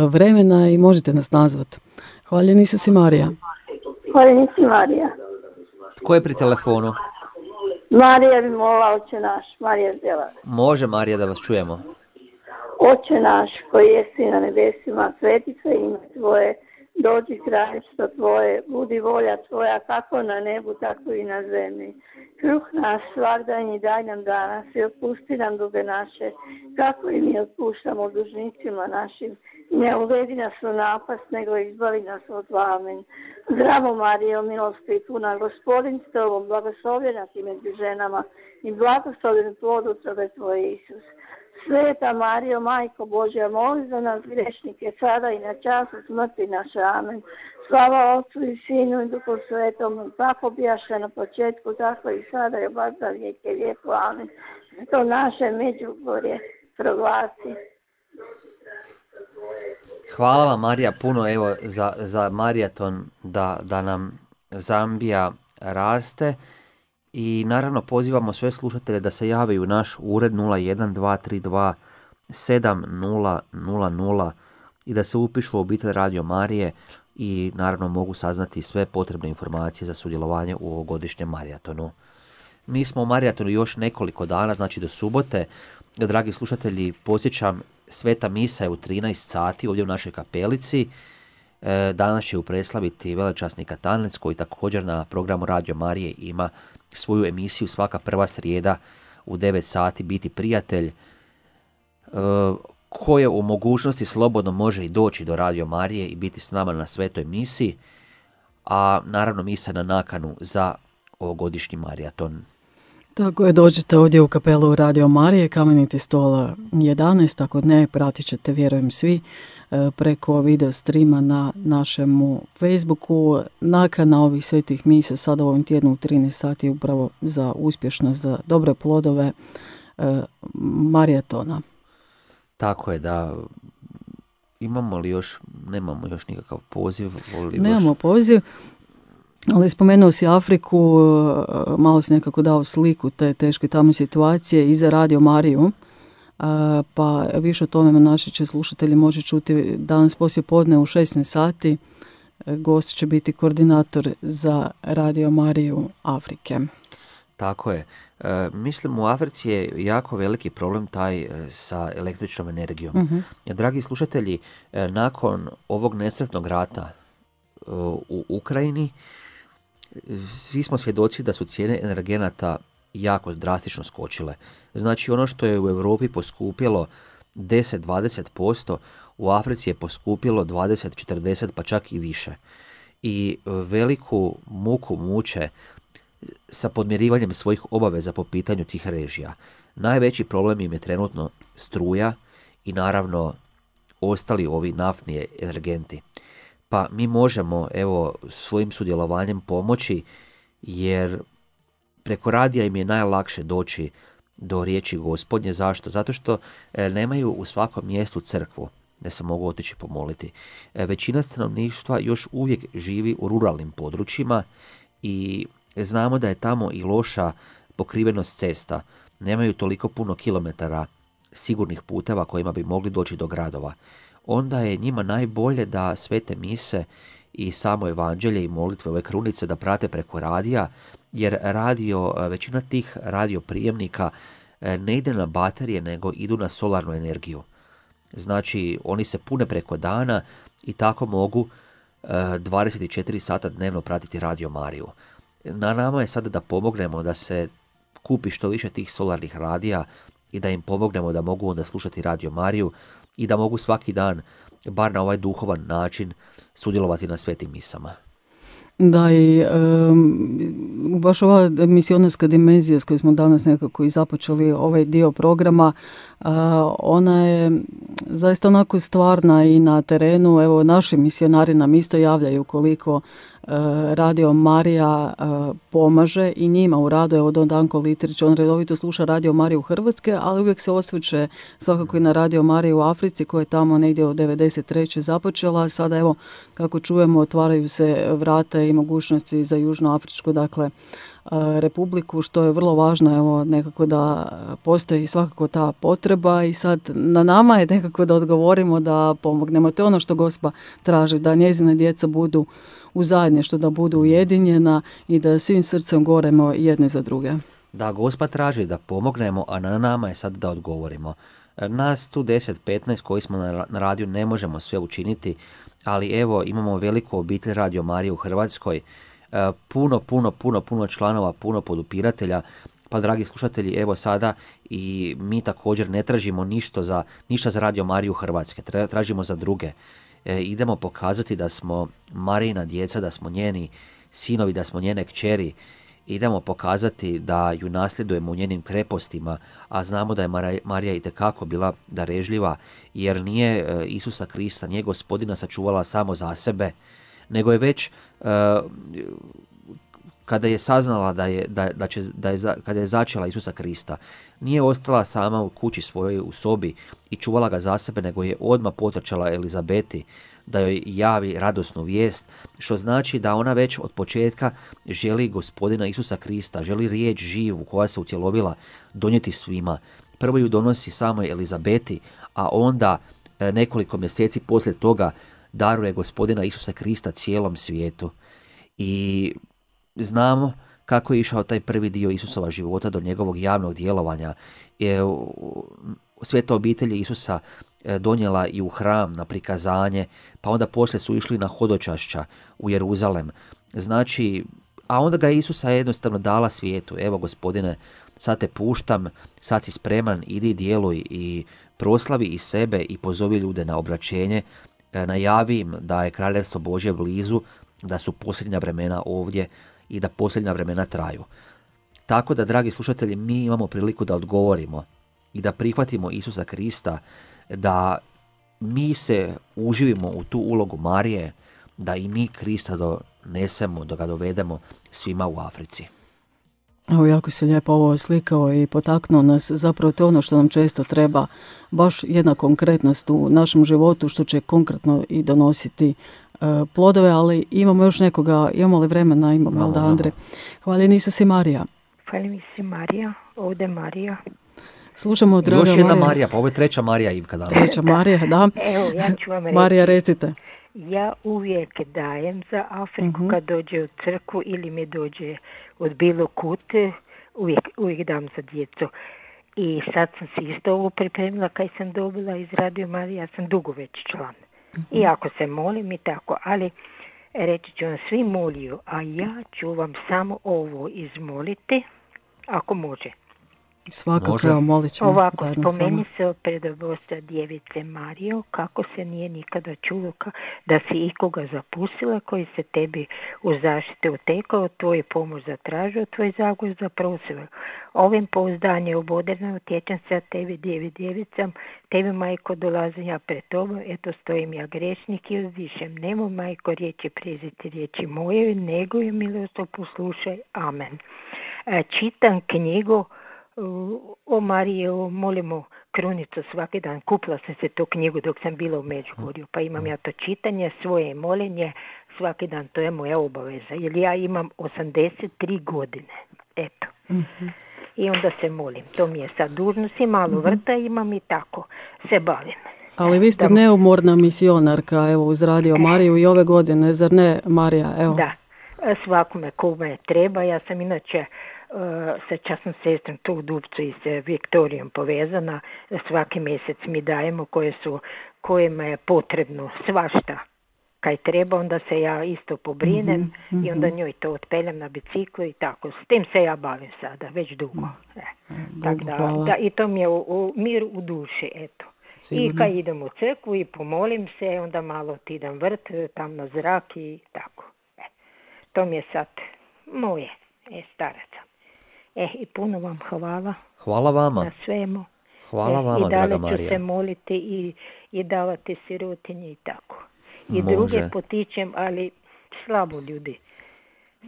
vremena i možete nas nazvati. Hvaljen Isus i Marija. Hvaljen Isus i Marija. Tko je pri telefonu? Marija bi molila, Oče naš. Marija zdjela. Može, Marija, da vas čujemo. Oče naš, koji jesi na nebesima, sveti se ime tvoje, dođi kraljevstvo tvoje, budi volja tvoja kako na nebu, tako i na zemlji. Kruh naš svagdanji daj nam danas i otpusti nam duge naše, kako i mi otpuštamo dužnicima našim. Ne uvedi nas u napast, nego izbavi nas od zla. Amen. Zdravo Marijo, milosti i puna, Gospodin s tobom, blagoslovljena ti među ženama i blagoslovljen plod utrobe tvoje, Isus. Sveta Marijo, Majko Božja, moli za nas grešnike, sada i na času smrti naše. Amen. Slava Otcu i Sinu i Duhu Svetom, tako bijaše na početku, tako i sada i baš za vijeke vijeku. Amen. To naše Međugorje proglasi. Hvala vam, Marija, puno evo za, za maraton da, da nam Zambija raste. I naravno pozivamo sve slušatelje da se jave u naš ured nula jedan dva tri dva sedam nula nula nula i da se upišu u obitelj Radio Marije i naravno mogu saznati sve potrebne informacije za sudjelovanje u ovogodišnjem maratonu. Mi smo u maratonu još nekoliko dana, znači do subote. Dragi slušatelji, posjećam, sveta misa je u trinaest sati ovdje u našoj kapelici. E, danas će ju preslaviti velečasni Katanec koji također na programu Radio Marije ima svoju emisiju svaka prva srijeda u devet sati Biti prijatelj, e, koje u mogućnosti slobodno može i doći do Radio Marije i biti s nama na svetoj misi, a naravno misa na nakanu za ovogodišnji maraton. Tako je, dođete ovdje u kapelu Radio Marije, Kameniti stol jedanaest, ako ne, pratit ćete, vjerujem svi, preko video streama na našemu Facebooku. Nakana ovih svetih misa sada u ovom tjednu u trinaest sati upravo za uspješnost, za dobre plodove e, maratona. Tako je, da. Imamo li još, nemamo još nikakav poziv? Nemamo još... poziv. Ali spomenuo si Afriku, malo si nekako dao sliku te teške tamo situacije i za Radio Mariju, pa više o tome naši će slušatelji moći čuti danas poslije podne u šesnaest sati. Gost će biti koordinator za Radio Mariju Afrike. Tako je. E, mislim u Africi je jako veliki problem taj sa električnom energijom. Uh-huh. Dragi slušatelji, nakon ovog nesretnog rata u Ukrajini, svi smo svjedoci da su cijene energenata jako drastično skočile. Znači ono što je u Europi poskupilo deset do dvadeset posto, u Africi je poskupilo dvadeset do četrdeset pa čak i više. I veliku muku muče sa podmirivanjem svojih obaveza po pitanju tih režija. Najveći problem im je trenutno struja i naravno ostali ovi naftni energenti. Pa mi možemo, evo, svojim sudjelovanjem pomoći, jer preko radija im je najlakše doći do riječi Gospodnje. Zašto? Zato što e, nemaju u svakom mjestu crkvu da se mogu otići pomoliti. E, većina stanovništva još uvijek živi u ruralnim područjima i znamo da je tamo i loša pokrivenost cesta. Nemaju toliko puno kilometara sigurnih puteva kojima bi mogli doći do gradova. Onda je njima najbolje da svete mise i samo evanđelje i molitve ove krunice da prate preko radija, jer radio, većina tih radioprijemnika ne ide na baterije, nego idu na solarnu energiju. Znači, oni se pune preko dana i tako mogu dvadeset četiri sata dnevno pratiti Radio Mariju. Na nama je sada da pomognemo da se kupi što više tih solarnih radija i da im pomognemo da mogu onda slušati Radio Mariju i da mogu svaki dan, bar na ovaj duhovan način, sudjelovati na svetim misama. Da, i um, baš ova misionarska dimenzija s kojoj smo danas nekako i započeli ovaj dio programa, uh, ona je zaista onako stvarna i na terenu. Evo, naši misionari nam isto javljaju koliko uh, Radio Marija uh, pomaže i njima u radu. Evo, Don Danko Litrić, on redovito sluša Radio Mariju Hrvatske, ali uvijek se osvrće svakako i na Radio Mariju u Africi, koja je tamo negdje od devedeset treće započela. Sada, evo, kako čujemo, otvaraju se vrata i mogućnosti za Južnoafričku, dakle, republiku, što je vrlo važno, evo, nekako da postoji svakako ta potreba i sad na nama je nekako da odgovorimo, da pomognemo. To je ono što Gospa traži, da njezine djeca budu u zajedništvu, da budu ujedinjena i da svim srcem goremo jedne za druge. Da, Gospa traži da pomognemo, a na nama je sad da odgovorimo. Nas tu deset petnaest koji smo na radiju ne možemo sve učiniti, ali evo, imamo veliku obitelj Radio Marije u Hrvatskoj, puno, puno, puno, puno članova, puno podupiratelja. Pa, dragi slušatelji, evo sada i mi također ne tražimo ništa za, ništa za Radio Mariju Hrvatske, tražimo za druge. E, idemo pokazati da smo Marijina djeca, da smo njeni sinovi, da smo njene kćeri. Idemo pokazati da ju nasljedujemo u njenim krepostima, a znamo da je Marija itekako bila darežljiva, jer nije Isusa Krista, nije Gospodina sačuvala samo za sebe, nego je već uh, kada je saznala da je, da, da će, da je, kada je začela Isusa Krista, nije ostala sama u kući svojoj u sobi i čuvala ga za sebe, nego je odmah potrčala Elizabeti da joj javi radosnu vijest, što znači da ona već od početka želi Gospodina Isusa Krista, želi riječ živu koja se utjelovila donijeti svima. Prvo ju donosi samoj Elizabeti, a onda nekoliko mjeseci poslije toga daruje Gospodina Isusa Krista cijelom svijetu. I znamo kako je išao taj prvi dio Isusova života do njegovog javnog djelovanja. Sveta obitelj Isusa donijela i u hram na prikazanje, pa onda poslije su išli na hodočašća u Jeruzalem. Znači, a onda ga Isusa jednostavno dala svijetu. Evo Gospodine, sad te puštam, sad si spreman, idi djeluj i proslavi i sebe i pozovi ljude na obraćenje, najavi im da je kraljevstvo Božje blizu, da su posljednja vremena ovdje i da posljednja vremena traju. Tako da, dragi slušatelji, mi imamo priliku da odgovorimo i da prihvatimo Isusa Krista, da mi se uživimo u tu ulogu Marije, da i mi Krista donesemo, da ga dovedemo svima u Africi. Evo, jako se lijepo ovo slikao i potaknuo nas. Zapravo to je ono što nam često treba, baš jedna konkretnost u našem životu što će konkretno i donositi uh, plodove, ali imamo još nekoga, imamo li vremena, imamo, imamo da Andre. Hvala Isus i Marija. Hvala Isus Marija, ovdje Marija. Slušamo, draga Marija. Još jedna Marija. Marija, pa ovo je treća Marija Ivka danas. Treća Marija, da. Evo, ja ću vam reći. Marija, recite. Ja uvijek dajem za Afriku uh-huh. kad dođe u crkvu ili mi dođe od bilo kute, uvijek, uvijek dam za djecu. I sad sam se isto ovo pripremila kad sam dobila iz Radio Marije, ja sam dugo već član. Uh-huh. I ako se molim i tako, ali reći ću vam, svi moliju, a ja ću vam samo ovo izmoliti, ako može. Svakako, evo, molit ćemo. Ovako, spomeni se o predobostva djevice Marijo, kako se nije nikada čulo da si ikoga zapustila, koji se tebi u zaštite utekao, tvoju pomoć zatražio, tvoj zagor zaprosila. Ovim pouzdanje oboderno utječem se tebi, djevi djevicam, tebi, majko, dolazim ja pred tobom, eto stojim ja grešnik i uzdišem. Nemo, majko, riječi preziti riječi moje, nego je milosto poslušaj. Amen. Čitam knjigu o Mariji, molimo krunicu svaki dan. Kupila sam se tu knjigu dok sam bila u Međugorju, pa imam ja to čitanje, svoje molenje svaki dan, to je moja obaveza, jer ja imam osamdeset tri godine, eto. Mm-hmm. I onda se molim, to mi je sad dužnost i malo mm-hmm. vrta imam i tako se bavim. Ali vi ste da, neumorna misionarka, evo, uz Radio Mariju i ove godine, zar ne, Marija? Evo. Da, svakome kome treba, ja sam inače Uh, sa časnom sestrom tu u Dupcu i sa Viktorijom povezana, svaki mjesec mi dajemo koje su, kojima je potrebno svašta kaj treba, onda se ja isto pobrinem mm-hmm. i onda njoj to otpeljam na biciklu i tako, s tim se ja bavim sada, već dugo. E, tako da, da, i to mi je u, u, mir u duši, eto. Sigurno. I kad idem u crkvu i pomolim se, onda malo idem vrt, tam na zrak i tako. E, to mi je sad moje, e, staraca. E, i puno vam hvala. Hvala vama. Na svemu. Hvala e, vama, draga Marija. I dalje ću se moliti i, i davati sirotinji i tako. I Može. druge potičem, ali slabo ljudi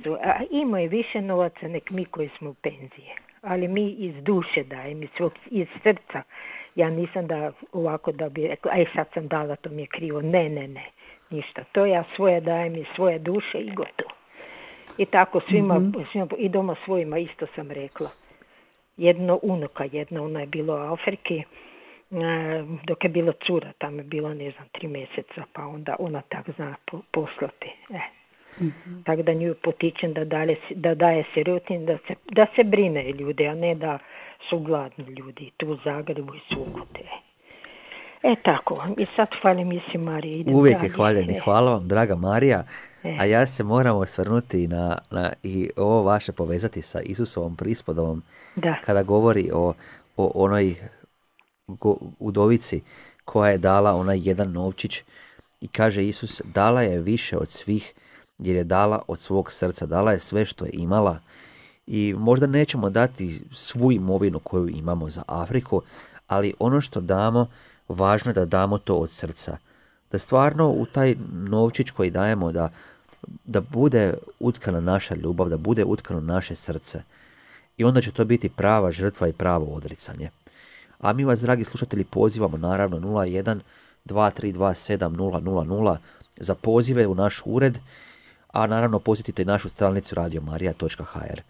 su. A imaju više novaca nek mi koji smo u penzije. Ali mi iz duše dajem, iz, svog, iz srca. Ja nisam da ovako da bi rekla, aj sad sam dala, to mi je krivo. Ne, ne, ne. Ništa. To ja svoje dajem iz svoje duše i gotovo. I tako svima, mm-hmm. svima, i doma svojima isto sam rekla. Jedno unuka, jedna, ona je bila u Afriki, dok je bila cura, tamo je bila, ne znam, tri mjeseca, pa onda ona tak zna poslati. E. Mm-hmm. Tako da nju potičem da, dalje, da daje sirotin, da se, da se brine ljude, a ne da su gladni ljudi tu u Zagrebu i svugdje. E tako, i sad hvalim Isi Marije. Uvijek je hvaljeni, hvala vam, draga Marija. E. A ja se moram osvrnuti na, na i ovo vaše povezati sa Isusovom prispodobom, da. Kada govori o, o onoj go, udovici koja je dala onaj jedan novčić i kaže Isus, dala je više od svih jer je dala od svog srca, dala je sve što je imala i možda nećemo dati svu imovinu koju imamo za Afriku, ali ono što damo, važno je da damo to od srca. Da stvarno u taj novčić koji dajemo, da, da bude utkana naša ljubav, da bude utkano naše srce. I onda će to biti prava žrtva i pravo odricanje. A mi vas, dragi slušatelji, pozivamo naravno nula jedan dva tri dva sedam nula nula nula za pozive u naš ured, a naravno posjetite našu stranicu radio marija točka ha er.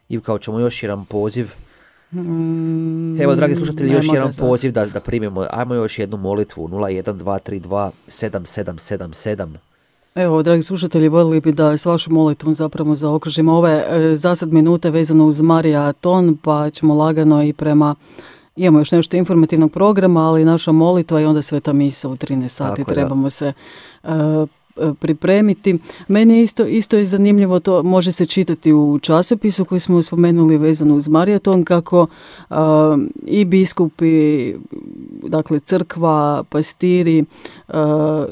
Ivka, ćemo još jedan poziv. Mm, Evo, dragi slušatelji, još jedan poziv da, da primimo. Ajmo još jednu molitvu. nula jedan dva tri dva sedam sedam sedam sedam. Evo, dragi slušatelji, voljeli bi da s vašom molitvom zapravo zaokružimo ove e, za sad minute vezano uz Marija Ton, pa ćemo lagano i prema Imamo još nešto informativnog programa, ali naša molitva i onda sveta misa u trinaest sati. Tako, trebamo da. se uh, pripremiti. Meni je isto, isto je zanimljivo, to može se čitati u časopisu koji smo spomenuli vezano uz maraton, kako uh, i biskupi, dakle crkva, pastiri uh,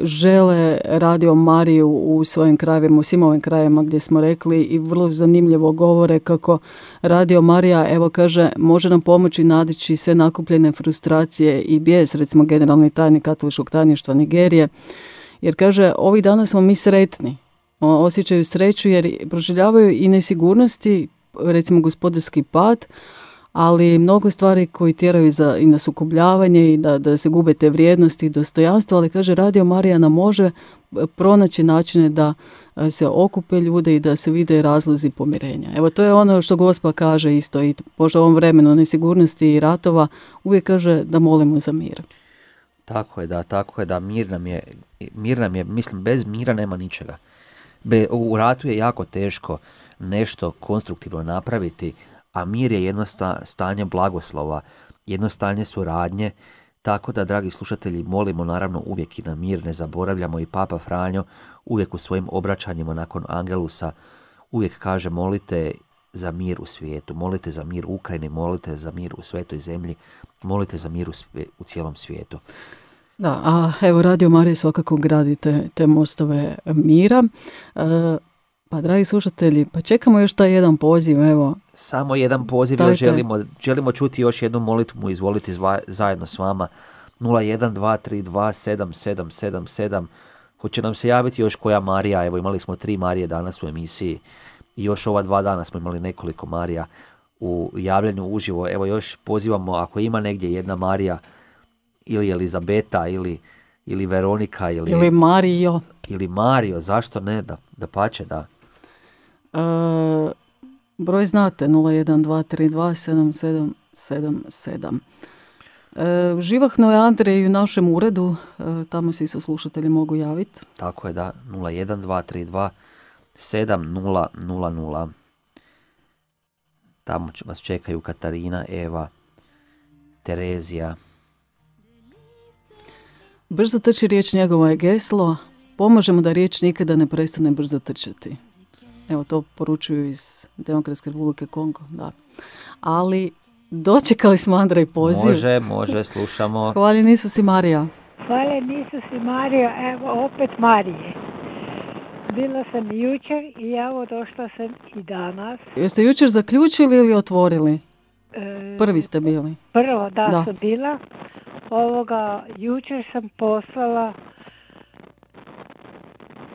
žele Radio Mariju u svojim krajevima, u svim ovim krajevima gdje smo rekli, i vrlo zanimljivo govore kako Radio Marija, evo kaže, može nam pomoći nadići sve nakupljene frustracije i bijes, recimo generalni tajnik katoličkog tajništva Nigerije. Jer kaže, ovih dana smo mi sretni, osjećaju sreću jer proživljavaju i nesigurnosti, recimo gospodarski pad, ali mnogo stvari koji tjeraju za, i na sukobljavanje i da, da se gube te vrijednosti i dostojanstvo, ali kaže, Radio Marija nam može pronaći načine da se okupe ljude i da se vide razlozi pomirenja. Evo, to je ono što Gospa kaže isto i možda u ovom vremenu nesigurnosti i ratova, uvijek kaže da molimo za mir. Tako je, da, tako je, da, mir nam je, mir nam je, mislim, bez mira nema ničega. Be, u ratu je jako teško nešto konstruktivno napraviti, a mir je jedno sta, stanje blagoslova, jedno stanje suradnje, tako da, dragi slušatelji, molimo naravno uvijek i na mir, ne zaboravljamo, i Papa Franjo uvijek u svojim obraćanjima nakon Angelusa uvijek kaže, molite za mir u svijetu, molite za mir u Ukrajini, molite za mir u svetoj zemlji, molite za mir u, svije, u cijelom svijetu. Da, a evo Radio Marija svakako gradi te, te mostove mira. E, pa dragi slušatelji, pa čekamo još taj jedan poziv, evo. Samo jedan poziv, još želimo, želimo čuti još jednu molitvu, izvolite zva, zajedno s vama. nula jedan dva tri dva sedam sedam sedam sedam. Hoće nam se javiti još koja Marija, evo imali smo tri Marije danas u emisiji. I još ova dva dana smo imali nekoliko Marija u javljanju uživo. Evo još pozivamo, ako ima negdje jedna Marija, ili Elizabeta, ili, ili Veronika, ili, ili Mario. Ili Mario, zašto ne, da, da pače, da. E, broj znate, nula jedan dva tri dva sedam sedam sedam sedam. E, živahno je Andrej u našem uredu, e, tamo se i slušatelji mogu javiti. Tako je, da, nula jedan dva tri dva sedam nula nula nula. Tamo vas čekaju Katarina, Eva, Terezija. Brzo trči riječ, njegova je geslo. Pomažemo da riječ nikada ne prestane brzo trčati. Evo, to poručuju iz Demokratske Republike Kongo, da. Ali dočekali smo Andrej poziv. Može, može, slušamo. Hvala Isus i Marija. Hvala Isus i Marija, evo opet Marije. Bila sam jučer i evo došla sam i danas. Jeste jučer zaključili ili otvorili? E, Prvi ste bili. Prvo, da, da. sam bila. Ovoga, jučer sam poslala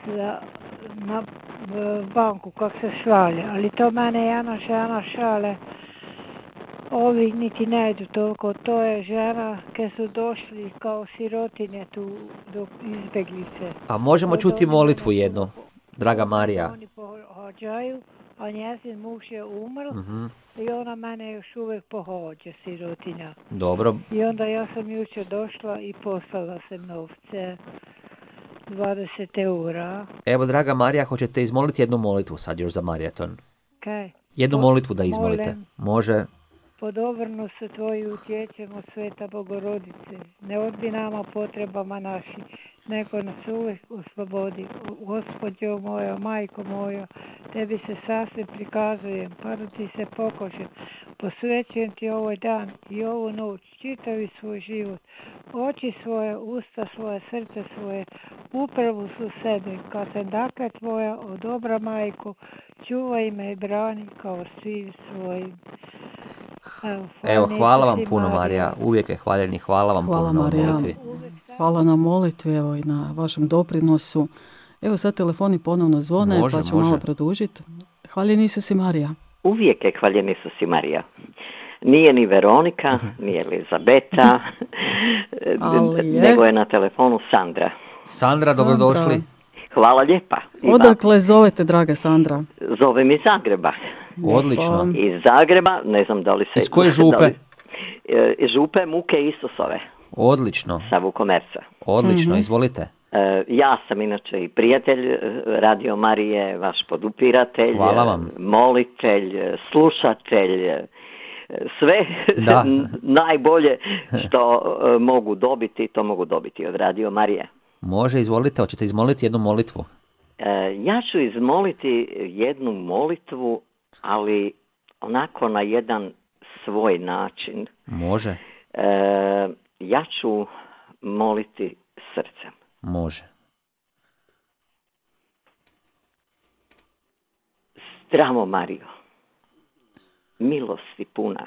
za, na banku kako se šalje, ali to mene jedna žena šale. Ovi niti ne idu toliko, to je žena kad su došli kao sirotinje tu do izbjeglice. A možemo čuti molitvu jednu, draga Marija. Oni pohođaju, a njezin muž je umrl, uh-huh. i ona mene još uvijek pohođa, sirotinja. Dobro. I onda ja sam jučer došla i poslala sam novce, dvadeset eura. Evo, draga Marija, hoćete izmoliti jednu molitvu sad još za maraton? Kaj? Jednu Pod, molitvu da izmolite. Molim. Može. Pod obrnu se tvoju utječemo, Sveta Bogorodice. Ne odbi nama potrebama naši, nego nas uvijek oslobodi. Gospodjo moja, majko moja, tebi se sasvim prikazujem, pa da ti se pokošem. Posvećujem ti ovaj dan i ovu noć, čitavi svoj život. Oči svoje, usta svoje, srce svoje, upravo su sebe. Kad sam dakle tvoja, o dobra majko, čuvaj me i brani kao svi svojim. Evo, Evo hvala vam puno, Marija. Uvijek je hvaljeni. Hvala vam hvala, puno Marija. na molitvi. Hvala na molitvi, evo, i na vašem doprinosu. Evo sad telefoni ponovno zvone, može, pa ću može. malo produžiti. Hvaljen Isus i Marija. Uvijek je hvaljen Isus i Marija. Nije ni Veronika, nije Elizabeta, je. nego je na telefonu Sandra. Sandra, dobrodošli. Hvala lijepa. Odakle zovete, draga Sandra? Zovem iz Zagreba. Odlično. Iz Zagreba, ne znam da li se... Iz koje župe? Iz župe Muke Isusove. Odlično. Sa Vukomerca. Odlično, mm-hmm. izvolite. Ja sam inače i prijatelj Radio Marije, vaš podupiratelj, hvala vam. Molitelj, slušatelj. sve najbolje što uh, mogu dobiti, to mogu dobiti od Radio Marije. Može, izvolite, hoćete izmoliti jednu molitvu? Uh, ja ću izmoliti jednu molitvu, ali onako na jedan svoj način. Može. Uh, ja ću moliti srcem. Može. Zdravo Marijo, milosti puna,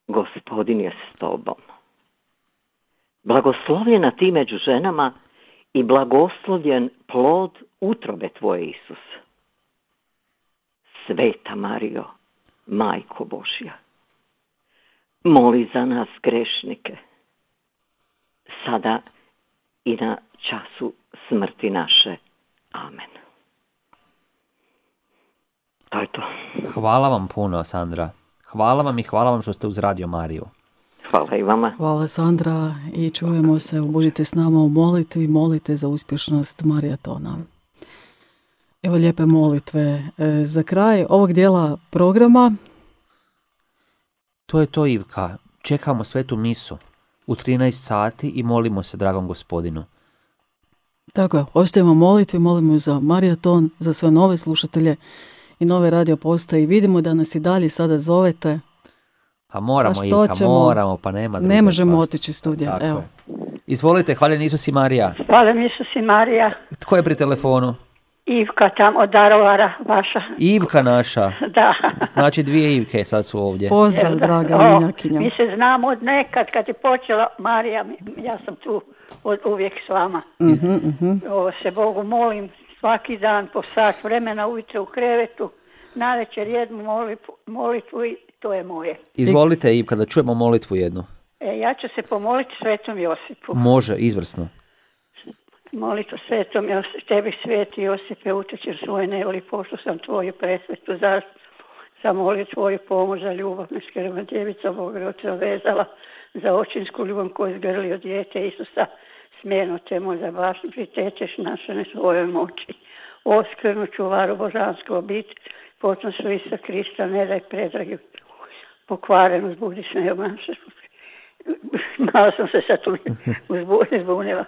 Gospodin je s tobom. Blagoslovljena ti među ženama i blagoslovljen plod utrobe tvoje, Isus. Sveta Marijo, Majko Božja, moli za nas grešnike, sada i na času smrti naše. Amen. To je to. Hvala vam puno, Sandra. Hvala vam i hvala vam što ste uz Radio Mariju. Hvala i vama. Hvala, Sandra, i čujemo se. Budite s nama u molitvi, molite za uspješnost maratona. Evo lijepe molitve za kraj ovog dijela programa. To je to, Ivka. Čekamo svetu misu u trinaest sati i molimo se dragom Gospodinu. Tako je, ostajemo molitvi, molimo za maraton, za sve nove slušatelje i nove radio postaje i vidimo da nas i dalje sada zovete. Pa moramo, Ivka, ćemo? moramo, pa nema druge. Ne možemo otići iz studija, evo. Je. Izvolite, hvaljen Isus i Marija. Hvaljen Isus i Marija. Tko je pri telefonu? Ivka tam od Darovara, vaša. Ivka naša. Da. Znači dvije Ivke sad su ovdje. Pozdrav, da, draga o, minjakinja. Mi se znamo od nekad, kad je počela Marija, ja sam tu od, uvijek s vama. Uh-huh, uh-huh. Ovo se Bogu molim svaki dan po sat vremena ujutro u krevetu, navečer jednu molitvu, molitvu i to je moje. Izvolite, Ivka, da čujemo molitvu jednu. E, ja ću se pomoliti Svetom Josipu. Može, izvrsno. Molitvu Svetom Josipu, tebi sveti Josipe, utječer svoje nevoli, pošto sam tvoju presvetu zaštitu, zamolio tvoju pomoć za ljubav, neskrvna djevica Bogorodica vezala za očinsku ljubav koju izgrlio dijete Isusa, smjerno te možda baš pritečeš naše ne svojoj moći. Oskrnu čuvaru božansku obitelj, potom su Isusa Krista, ne daj predragi pokvarenu, zbudi se ne obnaša. Malo sam se sad tu izbunila.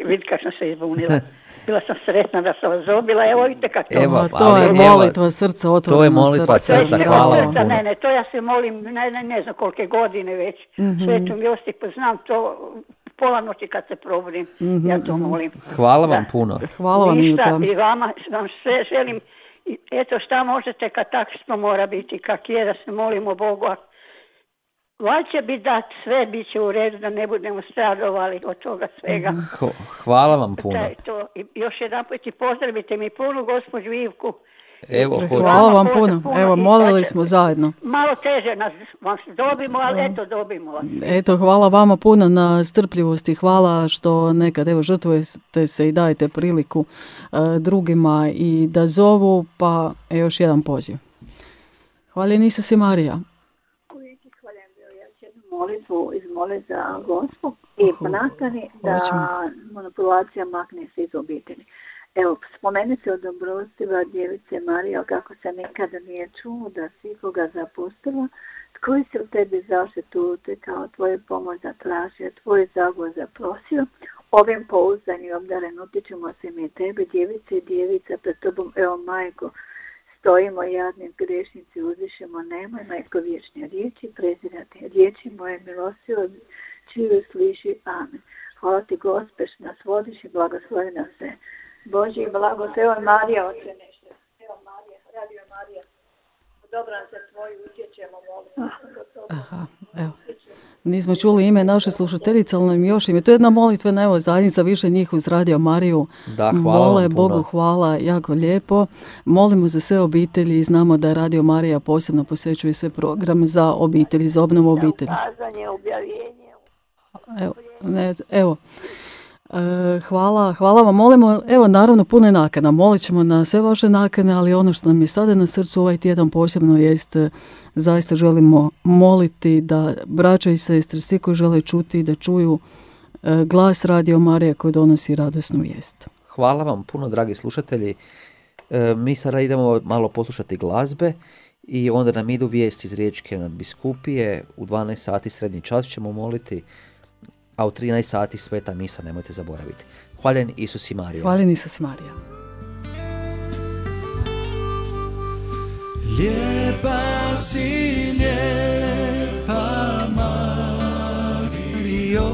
Vidi kako sam se izbunila. Bila sam sretna da sam vas zobila, evo vidite kako to. Evo, to je molitva srca, otvoreno to je molitva srca, srca, hvala vam puno. Ne, ne, to ja se molim, ne, ne, ne znam kolike godine već, mm-hmm. Svetom Josipu, znam to, pola noći kad se probudim, mm-hmm. ja to molim. Hvala vam da. puno. Hvala vam, Ništa, i vama vam sve želim, eto šta možete kad tako što mora biti, kak je da se molimo Bogu, a valjda će biti da sve bit će u redu, da ne budemo stradovali od toga svega. Hvala vam puno. To. I još jedan put i pozdravite mi puno gospođu Ivku. Evo, hvala vam puno. puno. Evo, molili smo zajedno. Malo teže nas vas dobimo, ali eto dobimo vas. Eto, hvala vama puno na strpljivosti. Hvala što nekad, evo, žrtvujete se i dajete priliku uh, drugima i da zovu, pa je još jedan poziv. Hvaljen Isus i Marija. Molitvu izmole za Gospu i ponastani da manipulacija makne se iz obitelji. Evo, spomeni se od dobrostiva djevice Marija kako se nikada nije čuo da si koga zapustila, koji se u tebi zaštitu kao tvoju pomoć zatražio, tvoj zagovor zaprosio. Ovim pouzdanim obdaren utječemo se mi tebi, djevice i djevica pred tobom, evo majko, stojimo jadni grešnici, uzvišemo, nemoj majko vječne riječi prezirati. Riječi moje milosti od čiju sliši. Amen. Hvala ti Gospe što nas vodiš i blagoslovi nas sve. Bože i blago, evo Marija, oče nešto. Evo Marija, Radio Marija. Dobro nam se tvoju utječemo, molim. Aha, evo. Nismo čuli ime naše slušateljice, ali nam još ime. To je jedna molitvena, evo, zajednica, više njih uz Radio Mariju. Da, hvala Mole, vam puno. Bogu hvala, jako lijepo. Molimo za sve obitelji i znamo da Radio Marija posebno posvećuje sve programe za obitelji, za obnovu obitelji. Ukazanje, objavljenje. Evo, ne, evo. Hvala, hvala vam. Molimo, evo, naravno, puno nakana. Molit ćemo na sve vaše nakane, ali ono što nam je sada na srcu ovaj tjedan posebno jest, zaista želimo moliti da braća i sestre, svi koji žele čuti, da čuju glas Radio Marije koji donosi radosnu vijest. Hvala vam puno, dragi slušatelji. Mi sada idemo malo poslušati glazbe I onda nam idu vijesti iz Riječke nadbiskupije, u dvanaest sati srednji čas ćemo moliti, a u trinaest sati sveta misa, nemojte zaboraviti. Hvaljen Isus i Marija. Hvaljen Isus i Marija. Lijepa si, lijepa Marijo,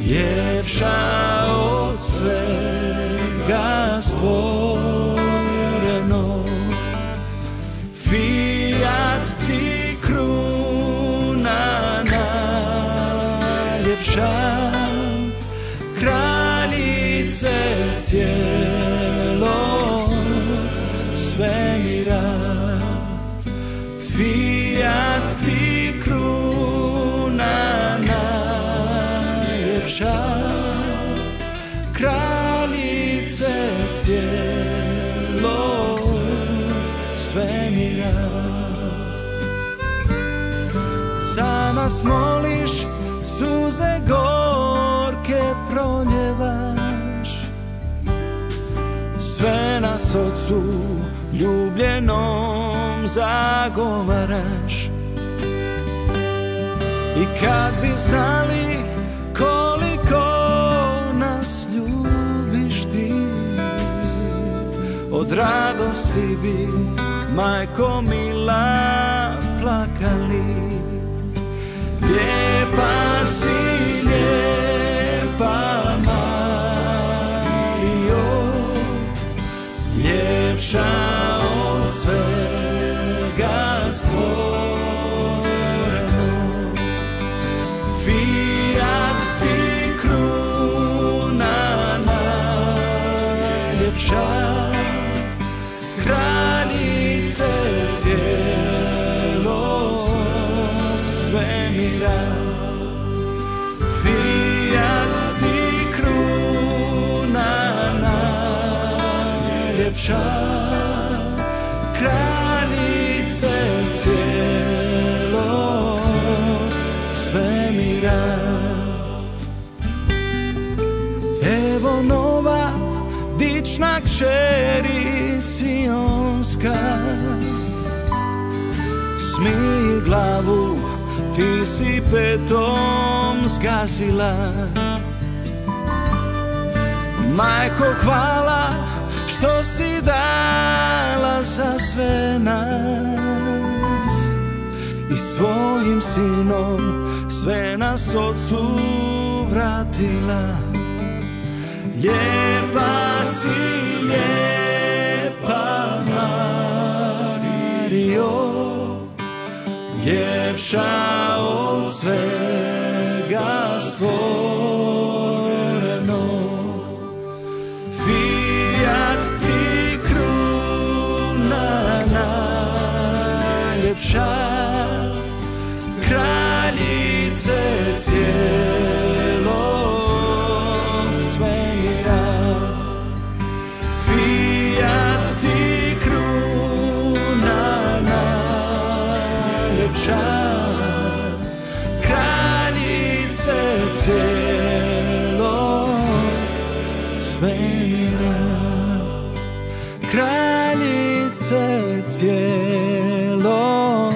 ljepša od svega stvoreno. Fiat ti kruna najljepša, kraljice cijelog svemira. Fiat ti kruna najljepša, kraljice cijelog svemira. Za nas moliš, suze gorke proljevaš, sve nas Otcu ljubljenom zagovaraš. I kad bi znali koliko nas ljubiš ti, od radosti bi, majko mila, plakali. Lijepa si, lijepa Marijo, ljepša od svega stvoreno. Fiat ti kruna najljepša, kraljice cijelog svemira. Fiat ti kruna najljepša, kraljice cijelog svemira. Evo nova dična kćeri sionska, smij glavu, ti si petom zgazila. Majko, hvala što si dala za sve nas i svojim sinom sve nas Otcu vratila. Lijepa si, lijepa Marijo, ljepša od svega stvorenog. Fiat ti kruna najljepša, kraljice cijelog svemira. Fiat ti kruna najljepša, kraljice cijelog svemira. Kraljice cijelog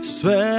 svemira.